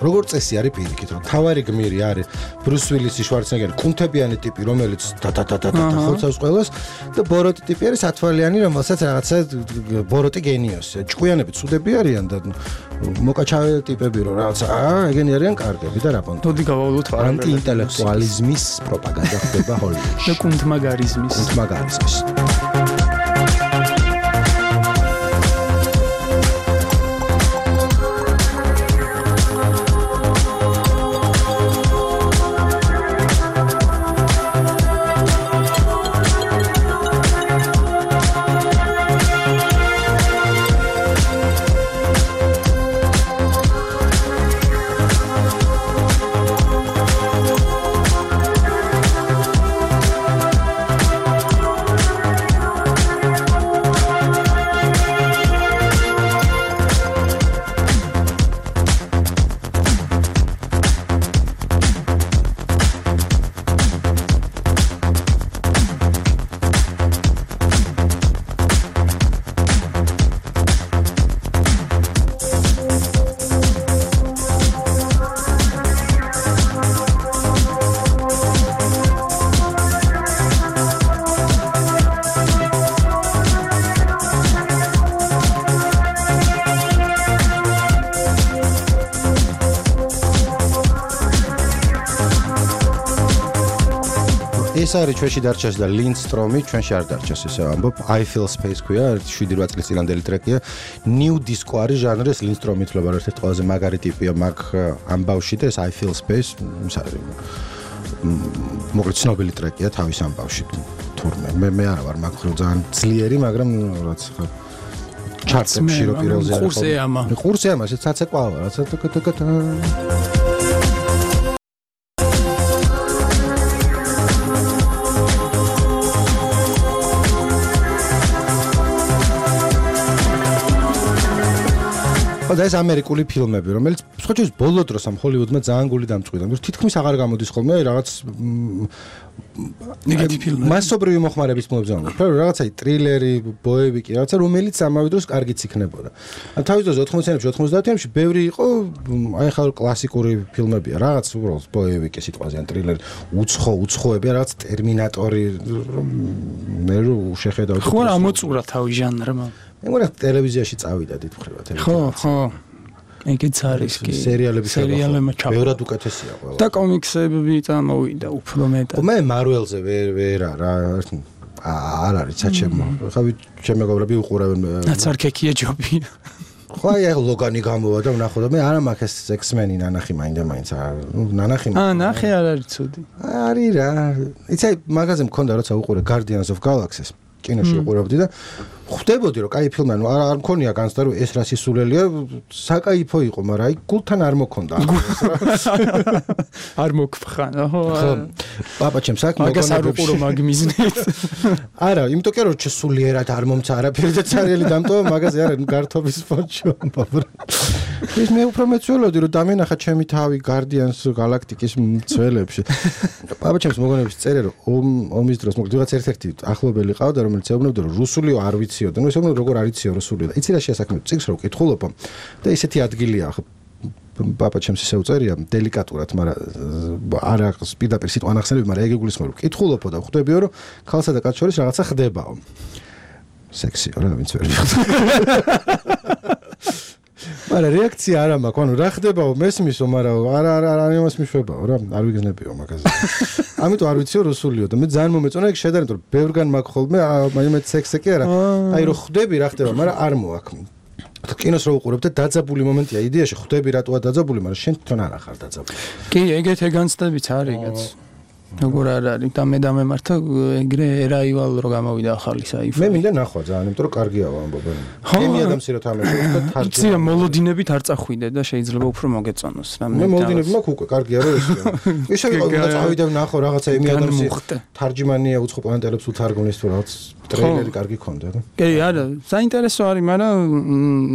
როგორც წესი არის პირიქით, რომ თავარი გმირი არის ბრუს ვილისი, შვარცენეგერი, კუნთებიანი ტიპი, რომელიც და-და-და-და ხოცავს ყველას და ბოროტი ტიპი არის ათვალიანი, რომელსაც რაღაცა ბოროტი გენიოსია. ჭკვიანები ცუდები არიან და მოკაჩავე ტიპები რომ რაღაცა აა ეგენი არიან კარგები და რა პონტი. თოდი გავავლოთ ანტიინტელექტუალიზმის პროპაგანდა ხდება ჰოლივუდში. და კუნთმაგარიზმის. კუნთმაგარიზმის. ეს არის ჩვენში დარჩეს და ლინდსტრომი ჩვენში არ დარჩეს ესე ამბობ I feel space ქვია შვიდი რვა წლის წინანდელი ტრეკია new disco არის ჟანრი ეს ლინდსტრომი ითვლება ერთ-ერთი ყველაზე მაგარი ტიპია მაგ ამბავში და ეს I feel space ის არის მოკლედ ცნობილი ტრეკია თავის ამბავში თურმე მე მე არა ვარ მაგ ხრო ძალიან ძლიერი მაგრამ რაც ხო ჩარტებში რო პირველზე არის ყურსე ამა ყურსე ამა ეს ცაცეკვავა რაც თქთქ და ეს ამერიკული ფილმები, რომელიც სხვა შეიძლება ბოლო დროს ამ ჰოლივუდმა ძალიან გული დამწყვიტა. ანუ თითქმის აღარ გამოდის ხოლმე რაღაც ნეგატივ ფილმები. მასობრივი მოხმარების ფილმებზე ანუ რაღაცა ტრილერი, ბოევიკი, რაღაცა რომელიც ამავე დროს კარგიც იქნებოდა. ან თავის დროზე ოთხმოციანებში, ოცდაათებში ბევრი იყო აი ხალ კლასიკური ფილმებია, რაღაც უბრალოდ ბოევიკი სიტყვაზე ან ტრილერი, უცხო, უცხოები, რაღაც ტერმინატორი მე რო შეხედავ ხო რა მოწურა თავი ჟანრმა. მე მგონია ტელევიზიაში წავიდა დიდხრივა ხო, ტელევიზია. ხო. ეგეც არის კი. სერიალები სერიალებმა ჩავა. ბევრად უკეთესია ყველა. და კომიქსები წამოვიდა უფრო მეტად. მე მარველზე ვერ ვერ არა არ არის საჩემო. ხავი ჩემ მეგობრები უყურავენ. ნაცარქექია ჯობი. ხო აი ლოგანი გამოვა და ვნახო და მე არა მაქვს ეს ექსმენი ნანახი მაინდა მაინც ნუ ნანახი აა ნახე არ არის ცუდი. არის რა. იცი მაგაზე მქონდა როცა უყურე Guardians of Galaxy-ს კინოში უყურებდი და ხვდებოდი რომ კაი ფილმია ნუ არ მქონია განცდა რომ ეს რა სისულელია საკაიფო იყო მაგრამ აი გულთან არ მქონდა არ მოგფხან ხო პაპა ჩემ საქმე მაგას არ უყურო მაგ მიზნით არა იმიტომ კი რომ სულიერად არ მომცა არაფერი და ცარიელი დამტოვა მაგაზე არა ნუ გართობის ფონჩო ის მე უფრო მეცველოდი რომ დამენახა ჩემი თავი Guardians Galactic-ის მცველებში პაპა ჩემს მოგონებს წერე რომ ომის დროს მოკლედ ვიღაც ერთ-ერთი ახლობელი ყავდა რომელიც ეუბნებოდა რომ რუსულიო არ ვიციო და ნუ ესეუბნებოდა როგორ არ იციო რუსული და იცი რა შეასაქმე წიგს რო ვკითხულობ და ისეთი ადგილია პაპა ჩემს ისე უწერია დელიკატურად მაგრამ არა პირდაპირ სიტყვა ნახსენები მაგრამ ეგ იგულისხმება რომ ვკითხულობ და ხვდებიო რომ ქალსა და კაცს შორის რაღაცა ხდებაო სექსიო რა ვინც ვერ ვიხდა მაგრამ რეაქცია არ მაქვს, ანუ რა ხდებაო, მესმისო, მაგრამ არა არა არა იმას მიშვებაო რა, არ ვიგზნებიო მაგაზე. ამიტომ არ ვიციო რუსულიო და მე ძალიან მომეწონა ეგ შედარებით, რომ ბევრგან მაქვს ხოლმე, აი მე სექსი კი არა. აი რო ხვდები რა ხდება, მაგრამ არ მოაქვს. კინოს რო უყურებ და დაძაბული მომენტია, იდეაში ხვდები რატოა დაძაბული, მაგრამ შენ თვითონ არ ახარ დაძაბული. კი, ეგეთ ეგანცდებით არის ეგაც. როგორ არ არის და მე დამემართა ეგრე ერაივალ რო გამოვიდა ახალი საიფი. მე მინდა ნახვა ძალიან, იმიტომ რომ კარგიაო ამბობენ. გემია და მცირე თამაშობს და თარგმნა. ცირა მოლოდინებით არ წახვიდე და შეიძლება უფრო მოგეწონოს რა. მე მოლოდინები მაქვს უკვე, კარგია რა ეს. ისე უნდა წავიდე ვნახო რაღაცა ემი ადამიანს თარჯმანია უცხო პლანეტელებს უთარგმნის თუ რაღაც ტრეილერი კარგი ქონდა და. კი, არა, საინტერესო არის, მაგრამ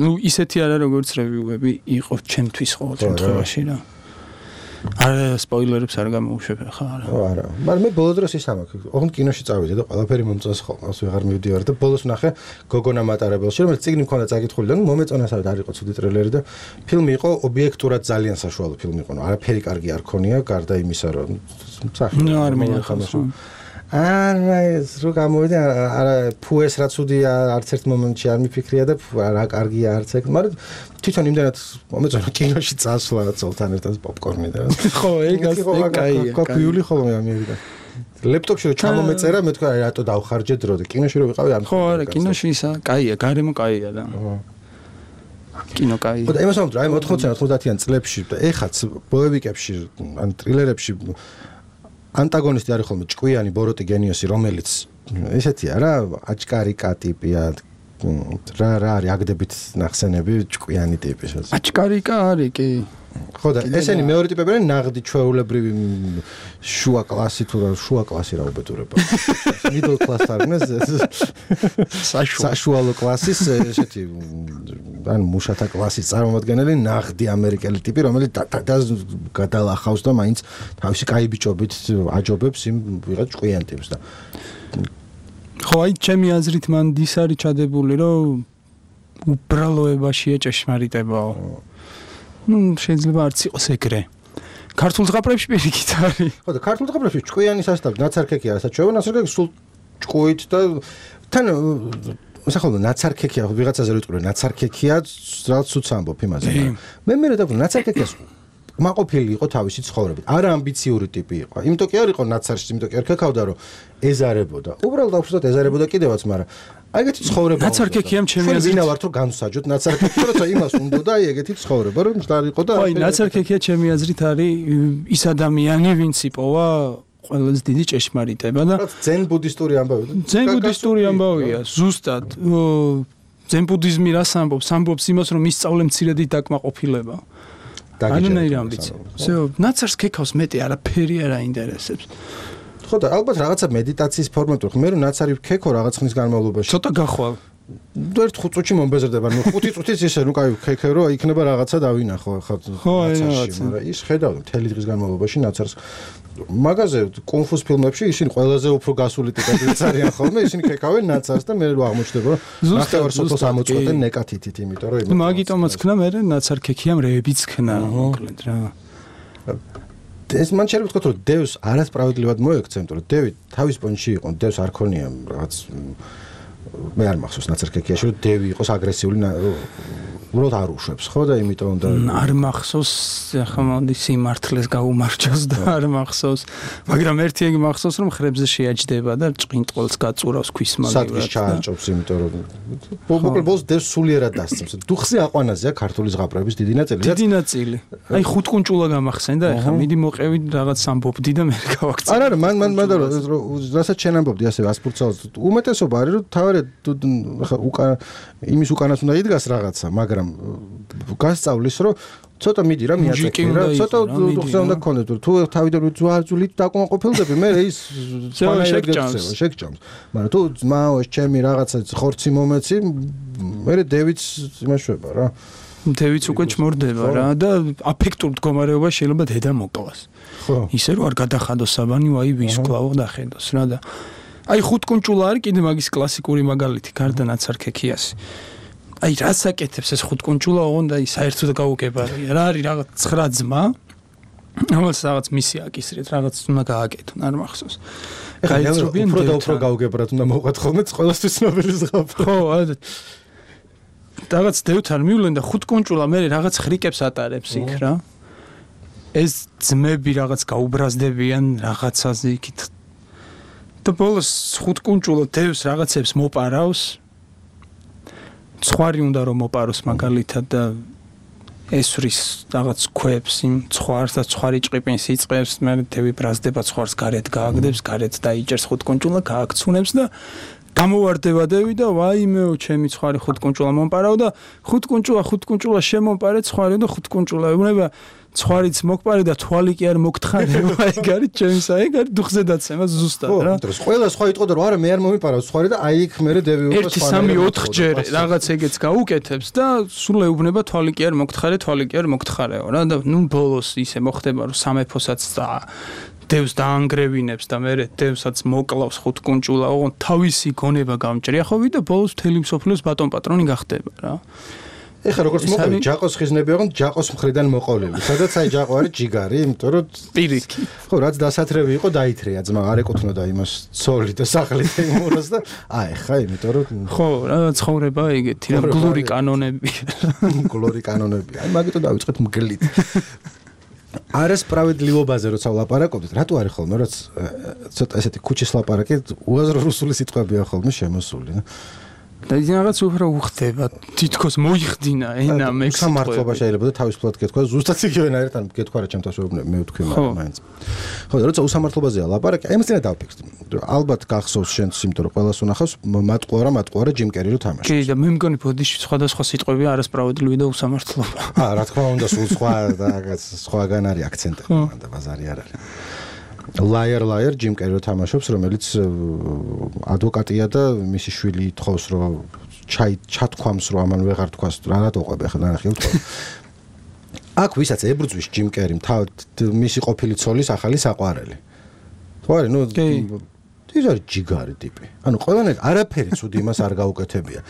ნუ ისეთი არა როგორც რევიუები იყო ჩემთვის ყოველ შემთხვევაში რა. არა სპოილერებს არ გამოუშვებ ხა არა. ხო არა. მაგრამ მე ბოლო დროს ის ამაქვს. ოღონდ კინოში წავიდე და ყველაფერი მომწონს ხოლმე. ასე ვეღარ მივდივარ და ბოლოს ვნახე გოგონა მატარებელში, რომელიც წიგნი მქონდა წაკითხული და ნუ მომეწონა სადაც არ იყო ცუდი ტრეილერი და ფილმი იყო ობიექტურად ძალიან საშუალო ფილმი იყო. არაფერი კარგი არ ქონია, გარდა იმისა, რომ სახე. ნუ არ მინახავს. არა ეს რო გამოვიდა არა ფუეს რა ცუდია არც ერთ მომენტში არ მიფიქრია და რა კარგია არც ეგ მაგრამ თვითონ იმდანაც მომეწონა კინოში წასვლა ცოლთან ერთად პოპკორნი და ხო ეგაც კაია კაფიული ხოლმე ამიერიკა ლეპტოპში რო ჩამომეწერა მე თქვა რატო დავხარჯე დრო და კინოში რო ვიყავი ამ ხო არა კინოში ისა კაია გარემო კაია და კინო კაია და იმას ვამბობ აი ოთხმოციან ოცდაათიან წლებში და ეხაც ბოევიკებში ან ტრილერებში ანტაგონისტი არის ხოლმე ჭკვიანი ბოროტი გენიოსი რომელიც ესეთია რა აჭკარიკა ტიპია რა რა არის აგდებით ნახსენები ჭკვიანი ტიპის აჭკარიკა არის კი ხო და ესენი მეორე ტიპები არის ნაღდი ჩვეულებრივი შუა კლასი თუ რა შუა კლასი რა უბედურება middle class არნეს საშუალო კლასის ესეთი ან მუშათა კლასის წარმომადგენელი ნაღდი ამერიკელი ტიპი რომელიც გადალახავს და მაინც თავისი კაი ბიჭობით აჯობებს იმ ვიღაც ჭკვიან ტიპს და ხო აი ჩემი აზრით მან ის არის ჩადებული რომ უბრალოებაშია ჭეშმარიტებაო ну შეიძლება არც იყოს ეგრე ქართულ ზღაპრებში პირიქით არის ხო და ქართულ ზღაპრებში ჭკვიანი სასტავი ნაცარქექი არა საჩვევა ნაცარქექი სულ ჭკვით და თან სახელმწიფო ნაცარქექია ვიღაცაზე რო იტყვი ნაცარქექია რაც უც ამბობ იმაზე მე მე რა დავფიქრე ნაცარქექიას კმაყოფილი იყო თავისი ცხოვრებით. არა ამბიციური ტიპი იყო. იმიტომ კი არ იყო ნაცარში, იმიტომ კი არ ქაქავდა, რომ ეზარებოდა. უბრალოდ აფსუსად ეზარებოდა კიდევაც, მაგრამ აი ეგეთი ცხოვრება. ნაცარქექიამ ჩემი აზრით ვინა ვართ რომ განვსაჯოთ ნაცარქექია, როცა იმას უნდოდა აი ეგეთი ცხოვრება, რომ მშტარ იყო და აი ნაცარქექია ჩემი აზრით არის ის ადამიანი, ვინც იპოვა ყველაზე დიდი ჭეშმარიტება და ძენ ბუდისტური ამბავი. ძენ ბუდისტური ამბავია, ზუსტად. ძენ ბუდიზმი რას ამბობს? ამბობს იმას, რომ ისწავლე მცირედით დაკმაყოფილება. ანანაირი ამბიცია. всё, ნაცარს ქეკავს მეტი არაფერი არ აინტერესებს. ხო და ალბათ რაღაცა მედიტაციის ფორმატი ხო მე რომ ნაცარი ქეკო რაღაც ხნის განმავლობაში. ცოტა გახვალ. ერთ ხუთ წუთში მომბეზრდება. ნუ ხუთი წუთიც ისე ნუ კაი ქეკე რომ იქნება რაღაცა დავინახო ხა ნაცარში, მაგრამ ის ხედავ მთელი დღის განმავლობაში ნაცარს მაგაზე კუნფუს ფილმებში ისინი ყველაზე უფრო გასული ტიპებიც არიან ხოლმე, ისინი ქეკავენ ნაცარს და მე რო აღმოჩნდება რომ ნახევარ სოფელს ამოწყვეტენ ნეკათითით, იმიტომ რომ იმით. მაგიტომაც ქნა მე ნაცარ ქექიამ რეებიც ქნა, მოკლედ რა. ეს მან შეიძლება ვთქვათ რომ დევს არასправედლივად მოექცენ, რომ დევი თავის პონჩი იყო, დევს არ ქონია რაღაც მე არ მახსოვს ნაცარ ქექიაში რომ დევი იყოს აგრესიული უბრალოდ არ უშვებს ხო და იმიტომ და არ მახსოვს ახლა მოდი სიმართლეს გაუმარჯოს და არ მახსოვს მაგრამ ერთი ეგ მახსოვს რომ ხრებზე შეაჯდება და ჭყინტყელს გაწურავს ქვის მაგივრად სადღაც ჩააჭობს იმიტომ რომ მოკლედ ბოლოს დევს სულიერად დასწრებს დუხზე აყვანაზეა ქართული ზღაპრების დიდი ნაწილი დიდი ნაწილი აი ხუთკუნჭულა გამახსენდა ახლა მიდი მოყევი რაღაც ამბობდი და მე გავაქცე არა არა მან მან მან რასაც შენ ამბობდი ასე ასპურცალს უმეტესობა არის რომ თავი ახლა უკან იმის უკანაც უნდა იდგას რაღაცა მაგრამ გასწავლის რომ ცოტა მიდი რა მიაწექი რა ცოტა დუხზე უნდა გქონდეს თუ თავიდან ძვარძულით დაკმაყოფილდები მე ის შეგჭამს შეგჭამს მაგრამ თუ ძმაო ჩემი რაღაცა ხორცი მომეცი მე დევიც იმაშვება რა დევიც უკვე ჩმორდება რა და აფექტურ მდგომარეობა შეიძლება დედა მოკლას ისე რომ არ გადახადოს საბანი ვაი ვისკლავო და ხედოს რა და აი ხუთკუნჭულა არის კიდე მაგის კლასიკური მაგალითი გარდა ნაცარქექიასი აი რას აკეთებს ეს ხუთკუნჭულა ოღონდ აი საერთოდ გაუგებარია რა არის რაღაც ცხრა ძმა ამას რაღაც მისი აკისრეთ რაღაც უნდა გააკეთონ არ მახსოვს გაიწრობიან უფრო და უფრო გაუგებრად უნდა მოყვათ ხოლმე ყველასთვის ცნობილი ზღაპრა ხო რაღაც დევთან მივლენ და ხუთკუნჭულა მე რაღაც ხრიკებს ატარებს იქ რა ეს ძმები რაღაც გაუბრაზდებიან რაღაცაზე იქით და ბოლოს ხუთკუნჭულა დევს რაღაცებს მოპარავს ცხვარი უნდა რომ მოპაროს მაგალითად და ესვრის რაღაც ქვებს იმ ცხვარს და ცხვარი ჭყიპინს იწყებს მე დევი ბრაზდება ცხვარს გარეთ გააგდებს გარეთ დაიჭერს ხუთკუნჭულა გააქცუნებს და გამოვარდება დევი და ვაიმეო ჩემი ცხვარი ხუთკუნჭულა მომპარავ და ხუთკუნჭულა ხუთკუნჭულა შემომპარე ცხვარი და ხუთკუნჭულა ეუბნება ცხვარიც მოგპარე და თვალი კი არ მოგთხარეო ეგ არის ჩემს აი ეგ არის დუხზე დაცემა ზუსტად რა ხო ყველა სხვა იტყოდა რომ არა მე არ მომიპარავ ცხვარი და აი იქ მე დევი უფრო სხვა ერთი სამი ოთხ ჯერ რაღაც ეგეც გაუკეთებს და სულ ეუბნება თვალი კი არ მოგთხარე თვალი კი არ მოგთხარეო რა და ნუ ბოლოს ისე მოხდება რომ სამეფოსაც და დევს დაანგრევინებს და მე დევსაც მოკლავს ხუთკუნჭულა ოღონდ თავისი გონება გამჭრია ხოვი და ბოლოს მთელი მსოფლიოს ბატონ პატრონი გახდება რა ეხლა როგორც მოყოლი ჯაყოს ხიზნები ოღონდ ჯაყოს მხრიდან მოყოლილი სადაც აი ჯაყო არის ჯიგარი იმიტომ რომ პირიქი ხო რაც დასათრევი იყო დაითრია ძმა არ ეკუთვნოდა იმას ცოლი და სახლი და იმურას და აი ხა იმიტომ რომ ხო რა ცხოვრება ეგეთი რა გლური კანონები გლური კანონები აი მაგიტო დავიწყეთ მგლით არასправედლივობაზე როცა ვლაპარაკობთ, რატო არის ხოლმე, რაც ცოტა ესეთი ქუჩის ლაპარაკი უაზრო რუსული სიტყვებია ხოლმე შემოსული, და და ის რაღაც უფრო უხდება, თითქოს მოიხდინა ენა მე სამართლობა შეიძლება და თავისუფლად გეთქვა, ზუსტად იგივენაირად ან გეთქვა რა ჩემთან შეუბნები, მე ვთქვი მაინც. ხო, როცა უსამართლობაზეა ლაპარაკი, აი მას წინა დავფიქრდი. ალბათ გახსოვს შენც, იმიტომ რომ ყველას უნახავს მატყუარა მატყუარა ჯიმ კერი რო თამაშობს. კი, და მე მგონი ბოდიში სხვადასხვა სიტყვებია არასправედლივი და უსამართლობა. აა, რა თქმა უნდა, სულ სხვა და რაღაც სხვაგან არის აქცენტი, და ბაზარი არ არის. Liar liar ჯიმ კერი რო თამაშობს, რომელიც ადვოკატია და მისი შვილი ითხოვს რომ ჩაი ჩათქვამს რომ ამან ვეღარ თქვას რა რატო ყვები ახლა ნახე ვთქვა. აქ ვისაც ებრძვის ჯიმ კერიმ მისი ყოფილი ცოლის ახალი საყვარელი. ხო არის, ნუ ის არის ჯიგარი ტიპი. ანუ ყველანაირ არაფერი ცუდი იმას არ გაუკეთებია.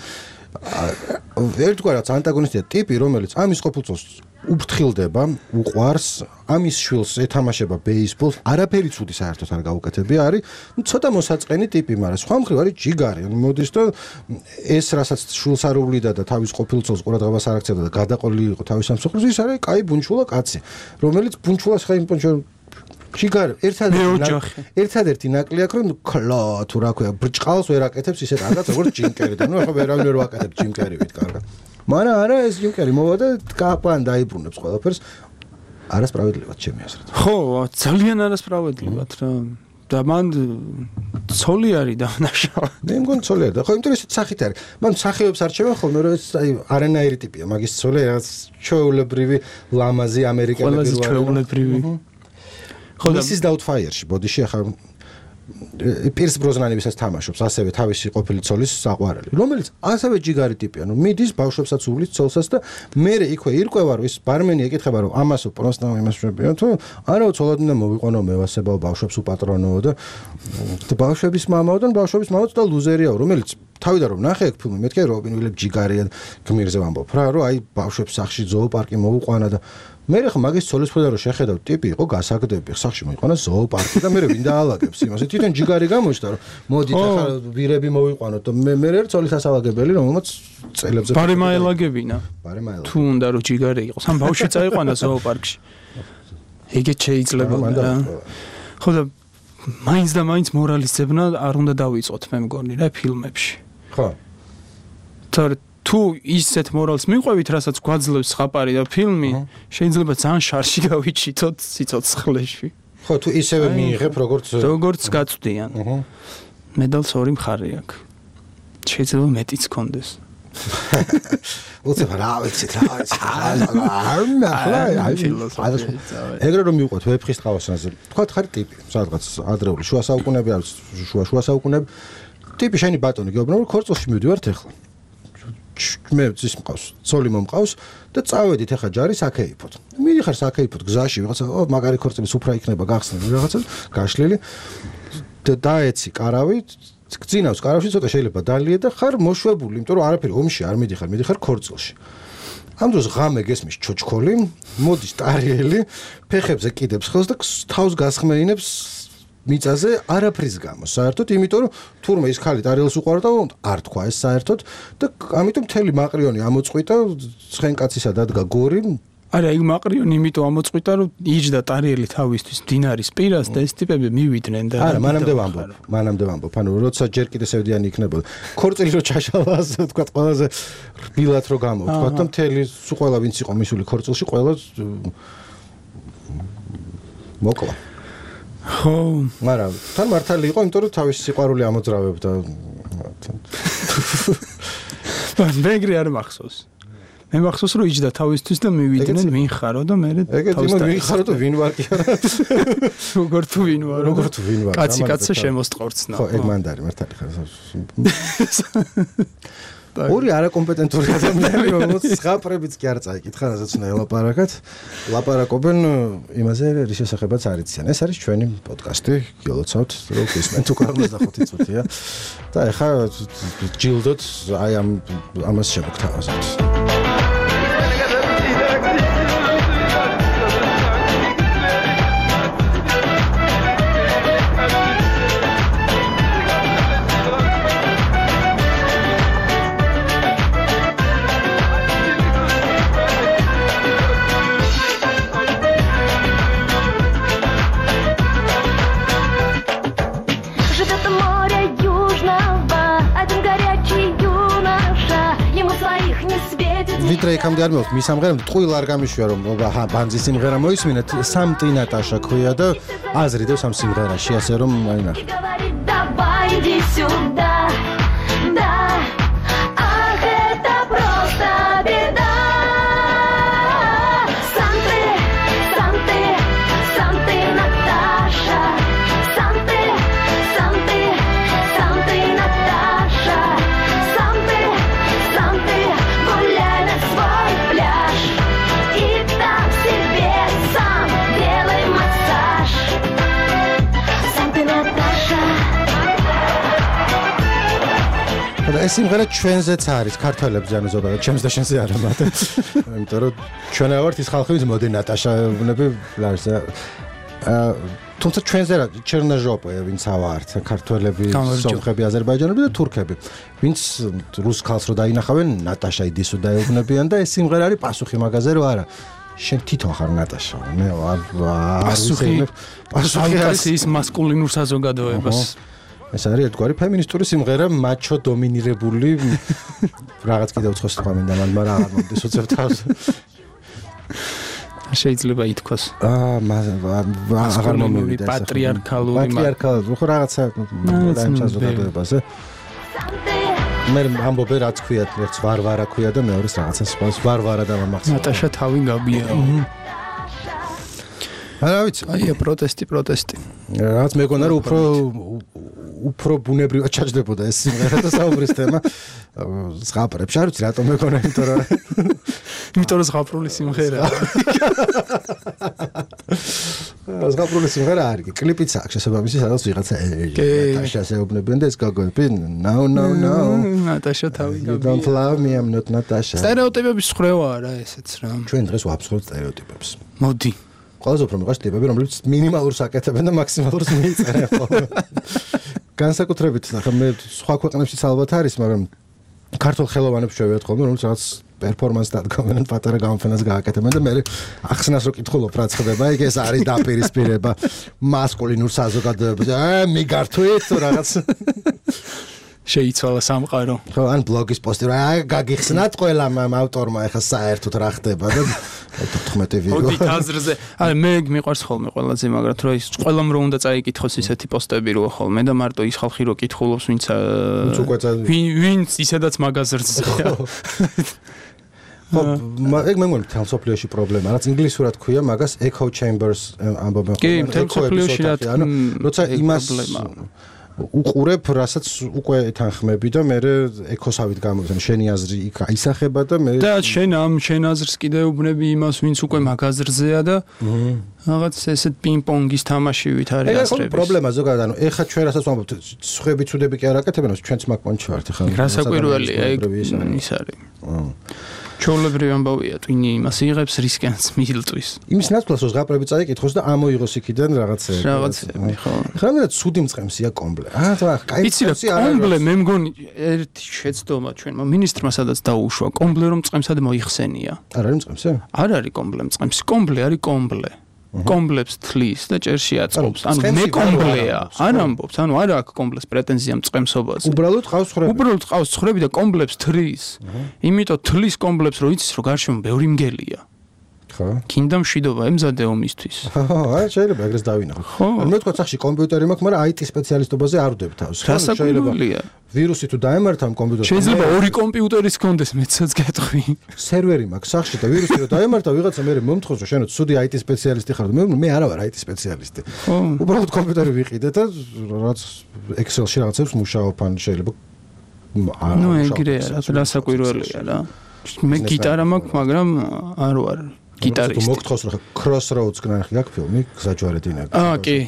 ერთგვარად ანტაგონისტია ტიპი, რომელიც ამის ყოფილწულს უფრთხილდება, უყვარს, ამის შვილს ეთამაშება ბეისბოლს, არაფერი ცუდი საერთოდ არ გაუკეთებია, არის ცოტა მოსაწყენი ტიპი, მაგრამ სხვა მხრივ არის ჯიგარი. მოდის და ეს რასაც შვილს არ უვლიდა და თავის ყოფილწულს ყურადღებას არ აქცევდა და გადაყოლილი იყო თავის სამსახურში, ის არის კაი ბუნჩულა კაცი, რომელიც ბუნჩულას ხა იმ ჯიგარი ერთადერთი ერთადერთი ნაკლია რომ ქლა თუ რა ქვია ბრჭყალს ვერ აკეთებს ისეთ რაღაც როგორც ჯიმკერი და ნუ ახლა ვერავინ ვერ ვაკეთებ ჯიმკერივით კარგად მაგრამ არა ეს ჯიმკერი მოვა და კაპან დაიბრუნებს ყველაფერს არასправედливად ჩემი აზრით ხო ძალიან არასправედливად რა და მან ცოლი არის დამნაშავე მე მგონი ცოლი არის და ხო იმიტომ ისეთ სახით არის მან სახეებს არჩევენ ხოლმე რომ ეს აი არანაირი ტიპია მაგის ცოლი რაღაც ჩვეულებრივი ლამაზი ამერიკელი პირველი ჩვეულებრივი ხო და Missus Doubtfire-ში ბოდიში ახლა პირს ბროზნანებისაც თამაშობს ასევე თავისი ყოფილი ცოლის საყვარელი რომელიც ასევე ჯიგარი ტიპია ნუ მიდის ბავშვებსაც უვლის ცოლსაც და მერე იქვე ირკვევა რომ ის ბარმენი ეკითხება რომ ამასო პროსტა იმას შეებია თუ არა ცოლად უნდა მოვიყვანო მევასებაო ბავშვებს უპატრონოო და ბავშვების მამაო და ბავშვების მამაც და ლუზერიაო რომელიც თავიდან რომ ნახე ეგ ფილმი მეთქე რობინ უილებ ჯიგარია გმირზე ვამბობ რა რომ აი ბავშვებს სახში ზოოპარკი მოუყვანა და მე ხა მაგის ცოლის მხრიდან რომ შეხედავ ტიპი იყო გასაგდები სახში მოიყვანა ზოოპარკი და მე ვინ დაალაგებს იმას თვითონ ჯიგარი გამოჩნდა რომ მოდით ახლა ვირები მოვიყვანოთ და მე მე ერთ ცოლის ასალაგებელი რომელმაც წელებზე ბარემაელაგებინა ბარემაელაგებინა თუ უნდა რომ ჯიგარი იყოს ამ ბავშვი წაიყვანა ზოოპარკში ეგეც შეიძლება რა ხო და მაინც და მაინც მორალის ძებნა არ უნდა დავიწყოთ მე მგონი რა ფილმებში ხო თორე თუ ისეთ მორალს მიყვევით, რასაც გვაძლევს ხაპარი და ფილმი, შეიძლება ძალიან შარში გავიჩითოთ სიცოცხლეში. ხო, თუ ისევე მიიღებ, როგორც როგორც გაწვდიან. მედალს ორი მხარე აქვს. შეიძლება მეტიც კონდეს. უცებ რა ვიცით რა ვიცით ეგრე რომ მივყვეთ ვეფხის ტყავასაზე თქვა ხარი ტიპი სადღაც ადრეული შუა საუკუნეები არის შუა შუა საუკუნეები ტიპი შენი ბატონი გეუბნება რომ ქორწილში მივდივართ ახლა მე ძის მყავს ცოლი მომყავს და წავედით ახლა ჯარი საქეიფოთ მიდიხარ საქეიფოთ გზაში ვიღაცა ო მაგარი ქორწილი სუფრა იქნება გახსნილი რაღაცა გაშლილი და დაეცი კარავი გძინავს კარავში ცოტა შეიძლება დალია და ხარ მოშვებული იმიტომ რომ არაფერი ომში არ მიდიხარ მიდიხარ ქორწილში ამ დროს ღამე გესმის ჩოჩქოლი მოდის ტარიელი ფეხებზე კიდებს ხელს და თავს გასხმეინებს მიწაზე არაფრის გამო საერთოდ იმიტომ რომ თურმე ის ხალი ტარიელს უყარდა არ თქვა ეს საერთოდ და ამიტომ მთელი მაყრიონი ამოწყვიტა ცხენკაცისა დადგა გორი არა იქ მაყრიონი იმიტომ ამოწყვიტა რომ იჯდა ტარიელი თავისთვის მდინარის პირას და ეს ტიპები მივიდნენ და არა მანამდე ვამბობ მანამდე ვამბობ ანუ როცა ჯერ კიდე სევდიანი იქნებოდა ქორწილი რო ჩაშალას თქვა ყველაზე რბილად რო გამოვთქვა და მთელი სულ ყველა ვინც იყო მისული ქორწილში ყველა მოკლა ხო მაგრამ თან მართალი იყო იმიტომ რომ თავის სიყვარული ამოძრავებდა მეგრე არ მახსოვს მე მახსოვს რომ იჯდა თავისთვის და მივიდნენ ვინ ხარო და მე თავის ვინ ხარო და ვინ ვარ კი არა როგორ თუ ვინ ვარ როგორ თუ ვინ ვარ კაცი კაცსა შემოსტყორცნა ხო ეგ მანდარი მართალი ხარ ორი არაკომპეტენტური ადამიანები რომელიც ზღაპრებიც კი არ წაიკითხა რასაც უნდა ელაპარაკათ ლაპარაკობენ იმაზე რის შესახებაც არ იციან ეს არის ჩვენი პოდკასტი გილოცავთ რომ გისმენთ უკვე ოცდახუთი წუთია და ეხა ჯილდოთ აი ამ ამას შემოგთავაზებთ ვიდრე იქამდე არ მოვხ მის ამღერამ ტყუილ არ გამიშვია რომ ბანძის სიმღერა მოისმინეთ სამ ტინატაშა ქვია და აზრიდებს ამ სიმღერაში ასე რომ აი ნახე ეს სიმღერა ჩვენზეც არის, ქართველებზე, ანუ ზოგადად ჩემს და შენზე არა მათ. იმიტომ რომ ჩვენ ვართ ის ხალხი, ვინც მოდი ნატაშაები, ლარს აა თუმცა ჩვენზე რა ჩერნაჟოპე ვინც ავართ, ქართველები, სომხები, აზერბაიჯანელები და თურქები, ვინც რუს ხალხს რო დაინახავენ, ნატაშა იდისო დაეუბნებიან და ეს სიმღერა არის პასუხი მაგაზე რომ არა. შენ თვითონ ხარ ნატაშა. მე არ პასუხი პასუხი არის ის მასკულინურ საზოგადოებას. ეს არის ერთგვარი ფემინისტური სიმღერა, მაჩო დომინირებული რაღაც კიდევ უცხოს თქვა მინდა, მაგრამ აღარ მომდის უცებ თავს. შეიძლება ითქვას. აა აღარ მომივიდა ეს. პატრიარქალური პატრიარქალური, ხო რაღაცა დაიმ საზოგადოებაზე. მე ამბობე რაც ქვიათ, ერთს ვარვარა ქვია და მეორეს რაღაცა სხვა ვარვარა და მახსოვს. ნატაშა თავი გაბია. არა ვიცი, აია პროტესტი, პროტესტი. რაც მეგონა რომ უფრო უფრო ბუნებრივად ჩაჯდებოდა ეს სიმღერა და საუბრის თემა ზღაპრებს. არ ვიცი რატომ მეგონა, იმიტომ რომ იმიტომ რომ ზღაპრული სიმღერაა. ზღაპრული სიმღერა არის, კლიპიც აქვს შესაბამისი, სადაც ვიღაცა ნატაშას ეუბნებიან და ეს გაგონებენ. No no no. ნატაშა თავი You don't love me, I'm not Natasha. სტერეოტიპების ხრევა არა ესეც რა. ჩვენ დღეს ვაფსხობთ სტერეოტიპებს. მოდი. ყველაზე უფრო მეყვარს ტიპები, რომლებიც მინიმალურს აკეთებენ და მაქსიმალურს მიიწერენ ხოლმე. განსაკუთრებით ახლა მე სხვა ქვეყნებშიც ალბათ არის, მაგრამ ქართულ ხელოვანებს შევეოთ ხოლმე, რომლებიც რაღაც პერფორმანსს დადგომენ, პატარა გამოფენას გააკეთებენ და მე ახსნას რო კითხულობ რა ხდება, იქ ეს არის დაპირისპირება მასკულინურ საზოგადოებაზე. აა მიგართვით რაღაც შეიცვალა სამყარო. ხო, ან ბლოგის პოსტი რა გაგიხსნათ ყველა ავტორმა ახლა საერთოდ რა ხდება და თერთმეტი ვიდეო. მოდი აზრზე. აი მე მიყვარს ხოლმე ყველაზე მაგრად რომ ის ყველამ რომ უნდა წაიკითხოს ისეთი პოსტები როა ხოლმე და მარტო ის ხალხი რო კითხულობს ვინც ვინც ისედაც მაგაზრზეა. ხო, ეგ მე მგონი თელ სოფლიოში პრობლემა, რაც ინგლისურად ქვია, მაგას echo chambers ამბობენ ხოლმე. კი, თელ სოფლიოში რა, როცა იმას უყურებ, რასაც უკვე ეთანხმები და მე ეკოსავით გამოვიდნენ, შენი აზრი იქ აისახება და მე და შენ ამ შენ აზრს კიდე უბნები იმას, ვინც უკვე მაგაზრზეა და რაღაც ესეთ პინგ-პონგის თამაშივით არის აზრები. ეს პრობლემა ზოგადად, ანუ ეხა ჩვენ რასაც ვამბობთ, სხვები ცუდები კი არ აკეთებენ, ჩვენც მაგპონჩი ვართ ხა. გასაკვირველია ეგ ის არის. ჩაოლებრივი ამბავია, twini იმას იღებს რისკენს მილტვის. იმის ნაცვლად რომ ზღაპრები წაიკითხოს და ამოიღოს იქიდან რაღაცები. რაღაცები, ხო. ხა მე ცუდი მწყემსია კომბლე. აა თა, კაი მწყემსი არა. კომბლე მე მგონი ერთი შეცდომა ჩვენმა მინისტრმა სადაც დაუშვა, კომბლე რომ მწყემსად მოიხსენია. არ არის მწყემსი? არ არის კომბლე მწყემსი, კომბლე არის კომბლე. კომბლებს თლის და ჭერში აწყობს. ანუ მე კომბლეა. არ ამბობს, ანუ არა აქვს კომბლეს პრეტენზია მწყემსობაზე. უბრალოდ ყავს ხრები. უბრალოდ ყავს ხრები და კომბლებს თრის. იმიტომ თლის კომბლებს რო იცის, რომ გარშემო ბევრი მგელია. ხო. კიდე მშვიდობა ემზადე ომისთვის. ხო, აი შეიძლება ეგრეს დავინახო. მე თქვა სახში კომპიუტერი მაქვს, მაგრამ აი ტი სპეციალისტობაზე არ ვდებ თავს. შეიძლება ვირუსი თუ დაემართა ამ კომპიუტერს. შეიძლება ორი კომპიუტერის კონდეს მეცაც გეტყვი. სერვერი მაქვს სახში და ვირუსი რო დაემართა, ვიღაცა მე მომთხოვს, რომ შენ ცუდი აი ტი სპეციალისტი ხარ. მე მე არა ვარ აი ტი სპეციალისტი. უბრალოდ კომპიუტერი ვიყიდე და რაც Excel-ში რაღაცებს მუშაობ, ან შეიძლება ნუ ეგრეა, რასაკვირველია რა. მე გიტარა მაქვს, მაგრამ არ ვარ გიტარისტი. თუ მოგთხოვს რა Crossroads გნახი გაქვს ფილმი, გზაჯვარედინა. აა კი.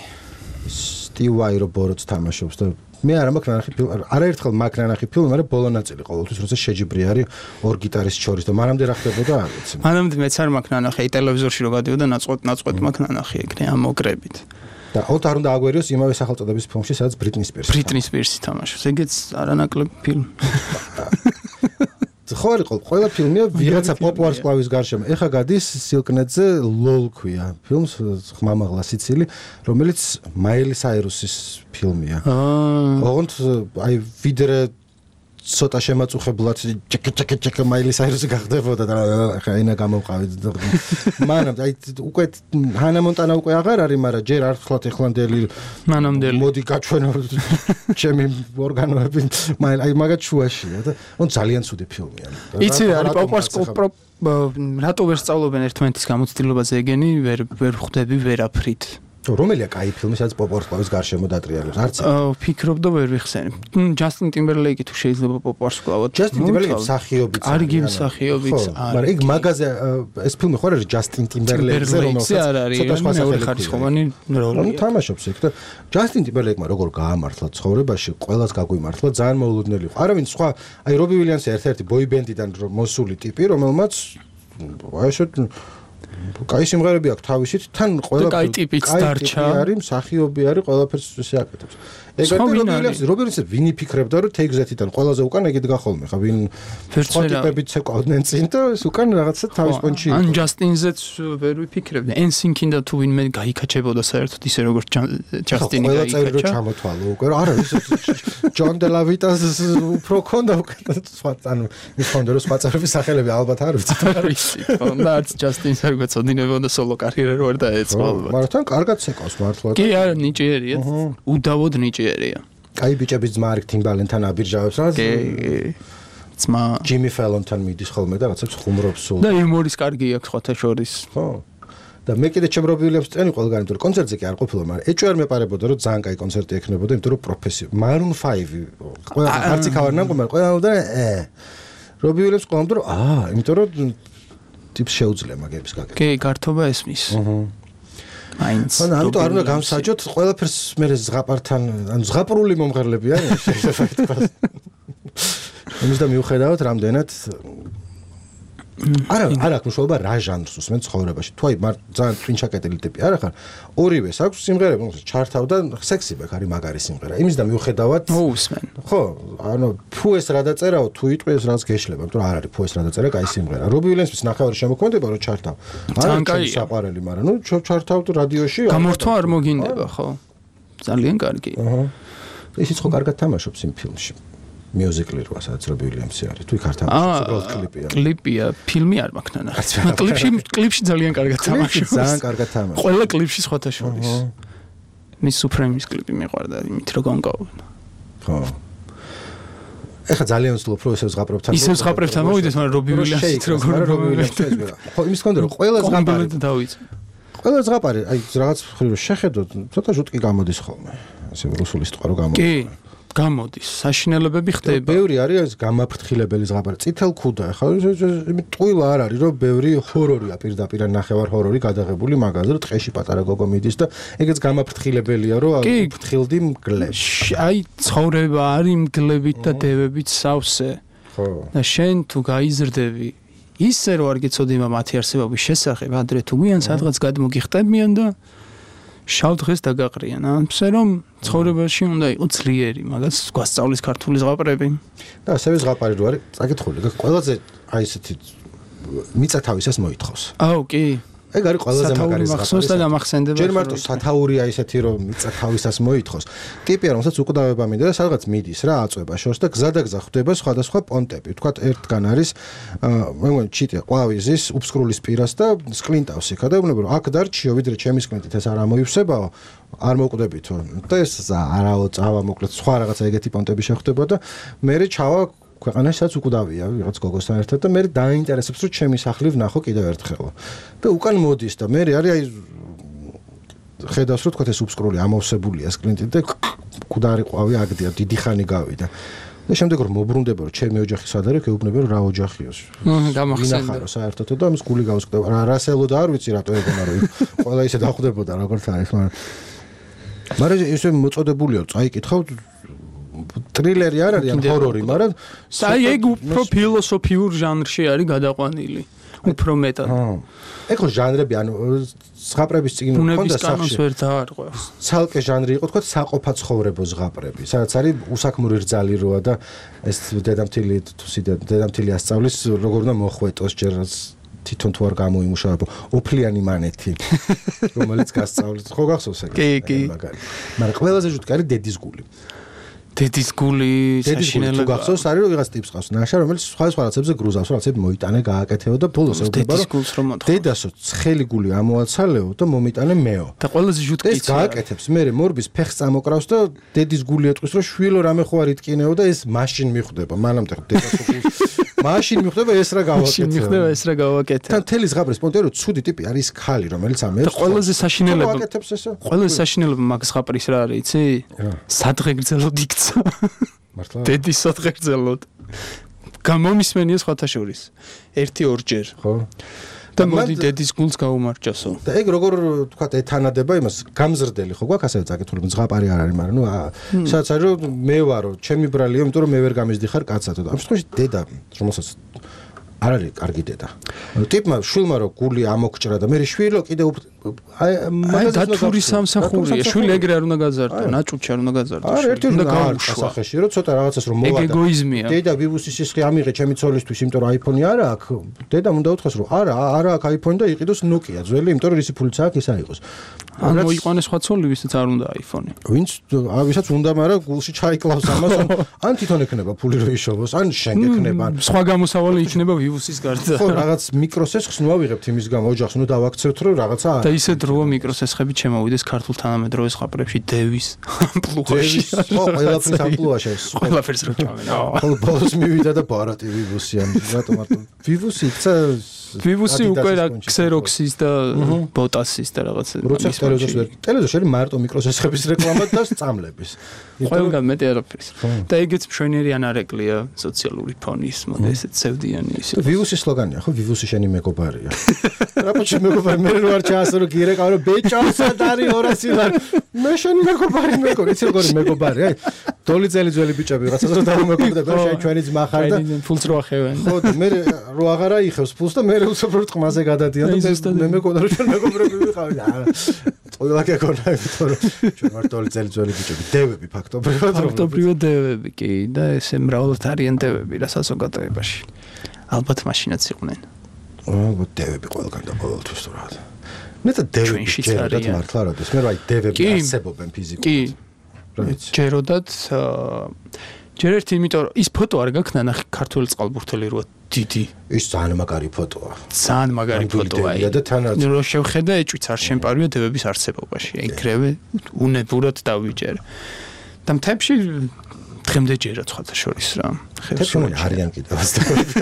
Steve Vai რო ბოროტს თამაშობს და მე არა მაქვს ნახი ფილმი, არაერთხელ მაქვს ნახი ფილმი, მაგრამ ბოლო ნაწილი ყოველთვის როცა შეჯიბრი არის ორ გიტარისტს შორის და მანამდე რა ხდებოდა არ ვიცი. მანამდე მეც არ მაქვს ნახი, ტელევიზორში რო გადიოდა ნაწყვეტ ნაწყვეტ მაქვს ნახი ეგრე ამ მოკრებით. და ოთ არ უნდა აგვერიოს იმავე სახელწოდების ფილმში, სადაც Britney Spears. Britney Spears თამაშობს. ეგეც არანაკლებ ფილმი. ხო არის ყველა ფილმია ვიღაცა პოპულარ სკლავის გარშემო. ეხა გადის სილკნეტზე ლოლ ქვია. ფილმს ხმამაღლა სიცილი, რომელიც მაილი საირუსის ფილმია. აა. ოღონდ აი ვიდრე ცოტა შემაწუხებლად ჩეკ ჩეკ ჩეკ მაილი საირუსი გახდებოდა და ხა ენა გამოვყავით. მანამდე აი უკვე ჰანა მონტანა უკვე აღარ არის, მაგრამ ჯერ არხლად ეხლანდელი მანამდელი მოდი გაჩვენო ჩემი ორგანოები მაილი აი მაგათ შუაშია და on ძალიან ცუდი ფილმია. იცი არის პოპულარ რატო ვერ სწავლობენ ერთმანეთის გამოცდილებაზე ეგენი ვერ ვერ ხვდები ვერაფრით. რომელია კაი ფილმი, სადაც პოპ ვარსკვლავის გარშემო დატრიალებს? არც აა ფიქრობ და ვერ ვიხსენებ. ჯასტინ ტიმბერლეიკი თუ შეიძლება პოპ ვარსკვლავად. ჯასტინ ტიმბერლეიკი მსახიობიც. კარგი მსახიობიც არის. მაგრამ იქ მაგაზე ეს ფილმი ხო არის ჯასტინ ტიმბერლეიკზე, რომელსაც ცოტა სხვა სახელი ხარისხოვანი როლი. თამაშობს იქ და ჯასტინ ტიმბერლეიკმა როგორ გაამართლა ცხოვრებაში, ყველას გაგვიმართლა, ძალიან მოულოდნელი იყო. არავინ სხვა, აი რობი უილიამსი ერთ-ერთი ბოიბენდიდან მოსული ტიპი, რომელმაც აი ესე კაი სიმღერები აქვს თავისით, თან ყველა კაი ტიპიც დარჩა. არის, მსახიობი არის, ყველაფერს ისე აკეთებს. ეგეთი რობი უილიამსი, რობი უილიამსი ვინი ფიქრებდა, რომ Take-That-იდან ყველაზე უკან ეგეთ გახოლმე, ხა ვინ სხვა ტიპებიც ეკავდნენ წინ და ეს უკან რაღაცა თავის პონჩი იყო. ან ჯასტინზეც ვერ ვიფიქრებდი. ენსინკინ და თუ ვინმე გაიქაჩებოდა საერთოდ ისე როგორც ჯასტინი გაიქაჩა. ყველა წევრი რო ჩამოთვალო უკვე, არა ის ჯონ დე ლა ვიტას უფრო ქონდა უკვე სხვა ანუ ის ქონდა რომ სხვა წევრების სახელები ალბათ არ ვიცი. არ ვიცი. და არც ჯასტინს არ გვეწოდინებოდა სოლო კარიერა რო არ დაეწყო ალბათ. მაგრამ თან კარგად ცეკავს მართლა. კი არა ნიჭიერია. უდავოდ ნიჭიერია. კაი ბიჭების ძმა არის ტიმბალენთან აბირჟავებს რა. კი. ძმა ჯიმი ფელონთან მიდის ხოლმე და რაღაცებს ხუმრობს სულ. და იუმორის კარგი აქვს სხვათა შორის. ხო. და მე კიდე ჩემ რობი უილიამს წენი ყველგან იმიტომ რომ კონცერტზე კი არ ყოფილა, მაგრამ ეჭვი არ მეპარებოდა რომ ძალიან კაი კონცერტი ექნებოდა, იმიტომ რომ პროფესიო Maroon five ყველა არც იქ არ ნამყო, მაგრამ ყველა და ე რობი უილიამს ყოლამდე რომ აა, იმიტომ რომ ტიპს შეუძლია მაგების გაკეთება. კი, გართობა ესმის. აჰა. მაინც. ანუ ამიტომ არ უნდა გამსაჯოთ ყველაფერს მე ზღაპართან, ანუ ზღაპრული მომღერლები არიან შეიძლება ითქვას. იმის და მიუხედავად რამდენად არა არა აქვს მშობა რა ჟანრს უსმენ ცხოვრებაში. თუ აი ძალიან twin-ჩაკეტილი ტიპი არა ხარ, ორივეს აქვს სიმღერები, მოკლედ ჩართავდა სექსიბეკ არის მაგარი სიმღერა. იმის და მიუხედავად მოусმენ. ხო, ანუ თუ ეს რა დაწერაო, თუ იტყვეს რაც გეშლება, იმიტომ რომ არ არის თუ ეს რა დაწერა, კაი სიმღერა. რობი უილიამსის ნახევარი შემოქმედება რომ ჩართავ. ძალიან კაია. საყვარელი, მაგრამ ნუ ჩართავ რადიოში. გამორთვა არ მოგინდება, ხო? ძალიან კარგი. აჰა. ისიც ხო კარგად თამაშობს იმ ფილმში. მიუზიკლი როა სადაც რობი უილიამსი არის. თუ იქ არ თამაშობს, უბრალოდ კლიპია. კლიპია, ფილმი არ მაქვს ნანა. კლიპში კლიპში ძალიან კარგად თამაშობს. ძალიან კარგად თამაშობს. ყველა კლიპში სხვათა შორის. მის Supreme-ის კლიპი მიყვარდა, იმით რომ განკავდა. ხო. ეხლა ძალიან ვცდილობ რომ ესე ზღაპრებთან. ისე ზღაპრებთან მოვიდეს, მაგრამ რობი უილიამსიც როგორ რობი უილიამსი ეს ვერა. ხო, იმის კონდა რომ ყველა ზღაპარი დავიწყე. ყველა ზღაპარი, აი რაღაც ხრივ შეხედოთ, ცოტა ჟუტკი გამოდის ხოლმე. ასე რუსული სიტყვა რო გამოდის. კი. გამოდის, საშინელებები ხდება. ბევრი არის გამაფრთხილებელი ზღაპარი. წითელ ქუდა, ხა იმით ტყუილა არ არის, რომ ბევრი ჰორორია პირდაპირ ნახევარ ჰორორი გადაღებული მაგაზე, რომ ტყეში პატარა გოგო მიდის და ეგეც გამაფრთხილებელია, რომ ფრთხილდი მგლებს. აი, ცხოვრება არის მგლებით და დევებით სავსე. ხო. და შენ თუ გაიზრდები, ისე რომ არ გეცოდება მათი არსებობის შესახებ, ადრე თუ გვიან სადღაც გადმოგიხტებიან და შავ დღეს დაგაყრიან. ამბსე რომ ცხოვრებაში უნდა იყოს ძლიერი, მაგას გვასწავლის ქართული ზღაპრები. და ასევე ზღაპარი რო არის, წაკითხული, ყველაზე აი ესეთი მიწა თავისას მოითხოვს. აუ, კი. ეგ არის ყველაზე მაგარი ზღაპარი. და გამახსენდება. ჯერ მარტო სათაურია ისეთი რომ მიწა თავისას მოითხოვს. ტიპია რომელსაც უკვდავება მინდა და სადღაც მიდის რა აწვება შორს და გზადაგზა ხვდება სხვადასხვა პონტები. თქვათ ერთგან არის მე მგონი ჩიტე ყვავიზის უფსკრულის პირას და სკლინტავს იქა და უბრალოდ აქ დარჩიო ვიდრე ჩემი სკლინტით ეს არ ამოივსებაო. არ მოკვდებითო და ეს არაო წავა მოკლედ სხვა რაღაცა ეგეთი პონტები შეხვდება და მე ჩავა ქვეყანაში სადაც უკვდავია ვიღაც გოგოსთან ერთად და მე დაინტერესებს რომ ჩემი სახლი ვნახო კიდევ ერთხელ და უკან მოდის და მე არის აი ხედავს რომ თქვა ეს უფსკრული ამოვსებულია სკლინტით და მკვდარი ყვავი აგდია დიდი ხანი გავიდა და შემდეგ რომ მოbrunდება რომ ჩემი ოჯახი სად არის ეუბნება რომ რა ოჯახიოს გამახსენდა საერთოდ და ამის გული გავსკვდება რა რასელო და არ ვიცი რატო ეგონა რომ ყველა ისე დახვდებოდა როგორც არის მაგრამ მაგრამ ესე მოწოდებულია წაიკითხავ ტრილერი არ არის ან ჰორორი, მაგრამ საი ეგ უფრო ფილოსოფიურ ჟანრში არის გადაყვანილი. უფრო მეტად. ეგ ხო ჟანრები, ანუ ზღაპრების წიგნი ქონდა სახში. ვერ დაარღვევს. ცალკე ჟანრი იყო, თქვა საყოფა ცხოვრებო ზღაპრები. სადაც არის უსაქმური რძალი როა და ეს დედამთილი თუ დედამთილი ასწავლის როგორ უნდა მოხვეტოს ჯერაც თვითონ თუ არ გამოიმუშავებო ოფლიანი მანეთი რომელიც გასწავლეთ ხო გახსოვს ეგ მაგარი მაგრამ ყველაზე ჟუტკი არის დედის გული დედის გული საშინელება თუ გახსოვს არის რომ ვიღაც ტიპს ყავს ნაშა რომელიც სხვა სხვა რაღაცებზე გრუზავს რაღაცები მოიტანე გააკეთეო და ბოლოს ეუბნება რომ დედასო ცხელი გული ამოაცალეო და მომიტანე მეო და ყველაზე ჟუტკიც ეს გააკეთებს მე მორბის ფეხს წამოკრავს და დედის გული ეტყვის რომ შვილო რამე ხო არ იტკინეო და ეს მაშინ მიხვდება მანამდე დედასო გულს მაშინ მიხვდება ეს რა გავაკეთე. მაშინ მიხვდება ეს რა გავაკეთე. თან თელი ზღაპრის პონტერო ცუდი ტიპი არის ხალი, რომელიც ამერს. და ყველაზე საშინელება. გავაკეთებს ესო. ყველაზე საშინელება მაგ ზღაპრის რა არის, იცი? სადღე გრძელოდ იქცა. მართლა? დედის სადღე გრძელოდ. გამომისმენია სხვათა შორის. ერთი ორჯერ. ხო. და მოდი დედის გულს გაუმარჯოსო. და ეგ როგორ თქვა ეთანადება იმას გამზრდელი ხო გვაქვს ასევე წაკითხული ზღაპარი არ არის, მაგრამ ნუ სადაც არის რომ მე ვარო, ჩემი ბრალია, იმიტომ რომ მე ვერ გამიზდიხარ კაცად. ამ შემთხვევაში დედა, რომელსაც არ არის კარგი დედა. ტიპმა შვილმა რო გული ამოგჭრა და მე შვილო კიდე აი მაგას დათური სამსახურია, შვილი ეგრე არ უნდა გაზარდო, ნაჭუჩი არ უნდა გაზარდო. არა, ერთი უნდა გაუშვა სასახეში, რომ ცოტა რაღაცას რომ მოვა და ეგოიზმია. დედა ვივუსის სისხლი ამიღე ჩემი ცოლისთვის, იმიტომ რომ აიფონი არა აქვს. დედამ უნდა უთხრას რომ არა, არა აქვს აიფონი და იყიდოს ნოკია ძველი, იმიტომ რომ რისი ფულიც აქვს, ის აიყოს. ან მოიყვანეს სხვა ცოლი, ვისაც არ უნდა აიფონი. ვინც ვისაც უნდა, მაგრამ გულში ჩაიკლავს ამას, ან თვითონ ექნება ფული რო იშოვოს, ან შენ გექნება. სხვა გამოსავალი იქნება ვივუსის გარდა. ხო, რაღაც მიკროსესხს ნუ ავიღებთ იმის გამო, ოჯახს ნუ დავაქცევთ, რომ რაღაცა და ისე დროა მიკროსესხები ჩემოვიდეს ქართულ თანამედროვე ზღაპრებში დევის ამპლუაში. ხო, ყველაფრის ამპლუაში. ყველაფერს რო ჩავენა. ხო, ბოლოს მივიდა და ბარატი ვივუსი ან რატომ არ ვივუსი იქცა ვივუსი უკვე რა ქსეროქსის და ბოტასის და რაღაცა. როცა ტელევიზორს ვერ ტელევიზორში არის მარტო მიკროსესხების რეკლამა და სწამლების. ყველგან მეტი არაფერს. და ეგეც მშვენიერი ანარეკლია სოციალური ფონის, მოდი ესეც ცევდიანი ისე. ვივუსის სლოგანია, ხო, ვივუსი შენი მეგობარია. რა პოჩი მეგობარი, მე რო არ ჩაასრო გირეკავ, რომ ბეჭოსად არის ორასი ლარი. მე შენი მეგობარი მეგობარი, იცი როგორი მეგობარი, აი. დოლი ძელი ძველი ბიჭები რაღაცას რო დავუმეგობრდება, შენ ჩვენი ძმა ხარ და ფულს რო ახევენ. ხო, მე რო აღარა იხევს ფულს და მე უცებრო ტყმაზე გადადიან და მე მეგონა რომ ჩვენ მეგობრები ვიყავით. არა. ყველა გეკონა, იმიტომ რომ ჩვენ ვართ დოლი ძელი ძველი ბიჭები, დევები ფაქტობრივად. ფაქტობრივად დევები კი და ესე მრავლად არიან დევები რა საზოგადოებაში. ალბათ მაშინაც იყვნენ. ალბათ დევები ყველგან და ყოველთვის თუ რა. მე და დევები ჯეროდათ მართლა როდეს მე რა დევები არსებობენ ფიზიკურად. კი. ჯეროდათ ჯერ ერთი იმიტომ რომ ის ფოტო არ გაქნა ნახე ქართული წყალბურთელი როა დიდი. ის ძალიან მაგარი ფოტოა. ძალიან მაგარი ფოტოა. და თანაც რო შევხედა ეჭვიც არ შემპარვია დევების არსებობაში. ეგრევე უნებურად დავიჯერ. და მთებში დღემდე ჯერა სხვათა შორის რა. თეთრული არიან კიდევ ასდევები.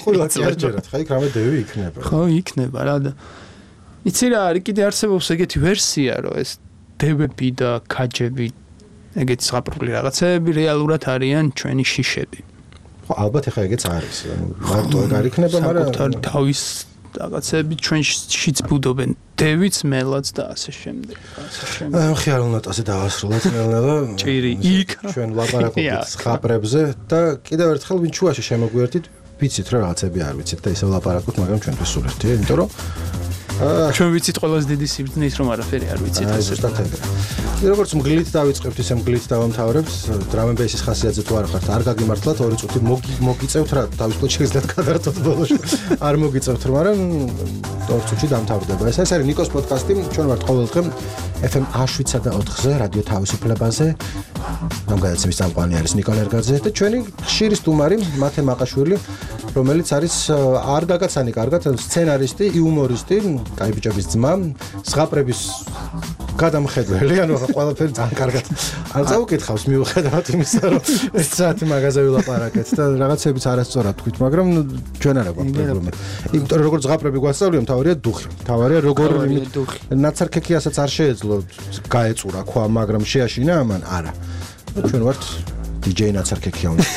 ყველა ჯერჯერათ, ხა იქ რამე დევი იქნება. ხო, იქნება რა და იცი რა არის კიდე არსებობს ეგეთი ვერსია რომ ეს დევები და ქაჯები ეგეთი ზღაპრული რაღაცები რეალურად არიან ჩვენი შიშები. ხო, ალბათ ეხა ეგეც არის. მარტო ეგ არ იქნება, მაგრამ საკუთარი თავის რაღაცები ჩვენშიც ბუდობენ. დევიც, მელაც და ასე შემდეგ. ასე შემდეგ. აი, ხიარულად ასე დავასრულოთ ნელ-ნელა. ჭირი იქ ჩვენ ლაპარაკობთ ზღაპრებზე და კიდევ ერთხელ ვინ ჩუაში შემოგვიერთით, ვიცით რა რაღაცები არ ვიცით და ისე ლაპარაკობთ, მაგრამ ჩვენთვის სულ ერთია, იმიტომ რომ ჩვენ ვიცით ყველაზე დიდი სიბრძნე ის რომ არაფერი არ ვიცით ასე ზუსტად ეგრე. როგორც მგლით დავიწყებთ, ისე მგლით დავამთავრებთ. Drum and bass-ის ხასიათზე თუ არ ხართ, არ გაგიმართლათ ორი წუთი მოგიწევთ რა, თავისუფლად შეგიძლიათ გადაართოთ ბოლოს. არ მოგიწევთ, მაგრამ ორი წუთში დამთავრდება. ეს არის ნიკოს პოდკასტი, ჩვენ ვართ ყოველდღე ეფ ემ შვიდსა და ოთხზე რადიო თავისუფლებაზე. გამგადაცემის წამყვანი არის ნიკო ლერგაძე და ჩვენი ხშირი სტუმარი მათე მაყაშვილი, რომელიც არის არ გაგაცანი კარგად სცენარისტი, იუმორისტი, კაი ბიჭების ძმა, ზღაპრების გადამხედველი, ანუ ყველაფერი ძალიან კარგად არ წავუკითხავს მიუხედავად იმისა, რომ ეს საათი მაღაზია ვილაპარაკეთ და რაღაცებიც არასწორად თქვით, მაგრამ ჩვენ არა გვაქვს პრობლემა. იმიტომ რომ როგორც ზღაპრები გვასწავლიან, მთავარია დუხი. მთავარია როგორ ნაცარქექიასაც არ შეეძლო გაეწურა ქვა, მაგრამ შეაშინა ამან არა. ჩვენ ვართ დი ჯეი ნაცარქექია უნდა.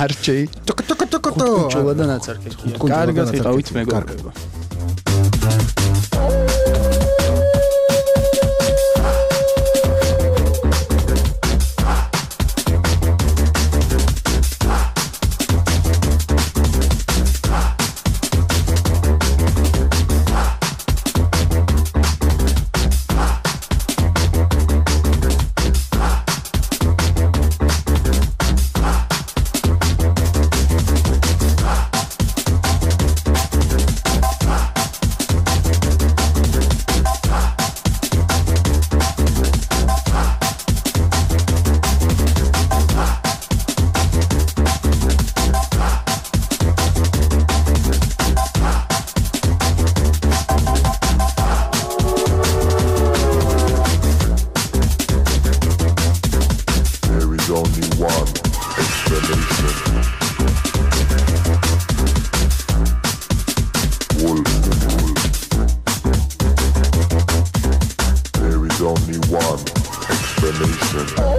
არ ჯეი. ტოკ ტოკ ტოკ ტოკ. ჯოვა და ნაცარქექია. კარგად ვიყავით მეგობრებო. Record.